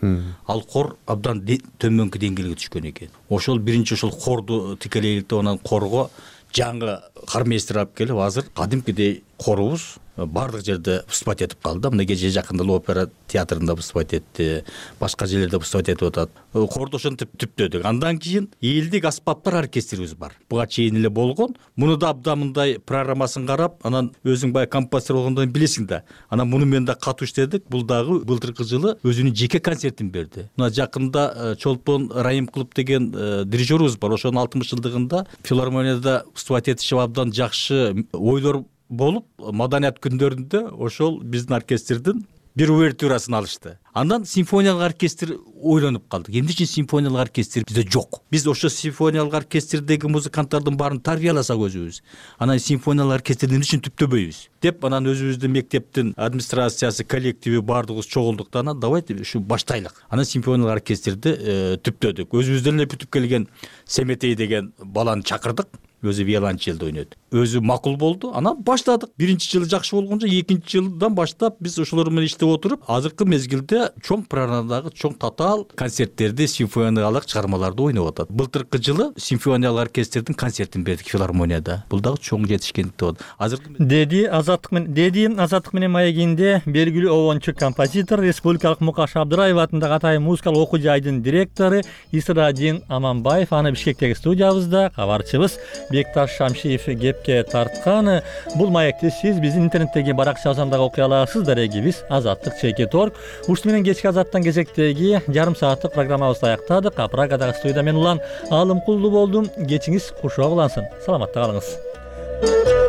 Ал хор абдан төмөнкү деңгээлге түшкөн экен. Ошол биринчи ошол хорду тикелейликтеп, анан хорго жаңы кармейстер алып келип, азыр кадимкидей корубуз баардык жерде выступать этип калды. Мына кечээ жакында опера театрында выступать этти, башка жерлерде выступать этип атат. Корду ошентип түптөдүк. Андан кийин элдик аспаптар оркестрибиз бар. Буга чейин эле болгон. Муну да абдан мындай программасын карап, анан өзүң баягы композитор болгондон билесиң да. Анан муну мен да катуу иштедик. Бул дагы былтыркы жылы өзүнүн жеке концертин берди. Мына жакында Чолпон Райым клуб деген дирижерубуз бар. Ошонун алтымыш жылдыгында филармонияда выступать этишип абдан жакшы ойлор болуп, маданият күндөрүндө ошол биздин оркестрдин бир увертюрасын алышты. Андан симфониялык оркестр ойлонуп калдык. Эмне үчүн симфониялык оркестр бизде жок? Биз ошо симфониялык оркестрдеги музыканттардын баарын тарбияласак өзүбүз, анан симфониялык оркестрди эмне үчүн түптөбөйбүз деп, анан өзүбүздүн мектептин администрациясы, коллективи баардыгыбыз чогулдук да, анан давайте ушу баштайлык. Анан симфониялык оркестрди түптөдүк. Өзүбүздөн эле бүтүп келген Семетей деген баланы чакырдык. Өзү виолончелде ойнойт. Өзү макул болду. Анан баштадык. Биринчи жылы жакшы болгончо, экинчи жылдан баштап биз ошолор менен иштеп отуруп, азыркы мезгилде чоң программадагы чоң татаал концерттерди, симфониялык чыгармаларды ойноп атат. Былтыркы жылы симфониялык оркестрдин концертин бердик филармонияда. Бул дагы чоң жетишкендик деп атат. Азыркы деди Азаттык менен деди Азаттык менен маегинде белгилүү обончу композитор, Республикалык Мукаш Абдыраев атындагы Атайын музыкалык окуу жайдын директору Исрадин Аманбаев, аны Бишкектеги студиябызда кабарчыбыз Бекташ Шамшиев кепке тарткан. Бул маекти сиз биздин интернеттеги баракчабыздан дагы окуй аласыз. Дарегибиз Азаттык чекит орг. Ушул менен кечки Азаттан кезектеги жарым сааттык программабызды аяктадык. Прагадагы студияда мен улан Алымкулду болдум. Кечиңиз кушоо улансын. Саламатта калыңыз.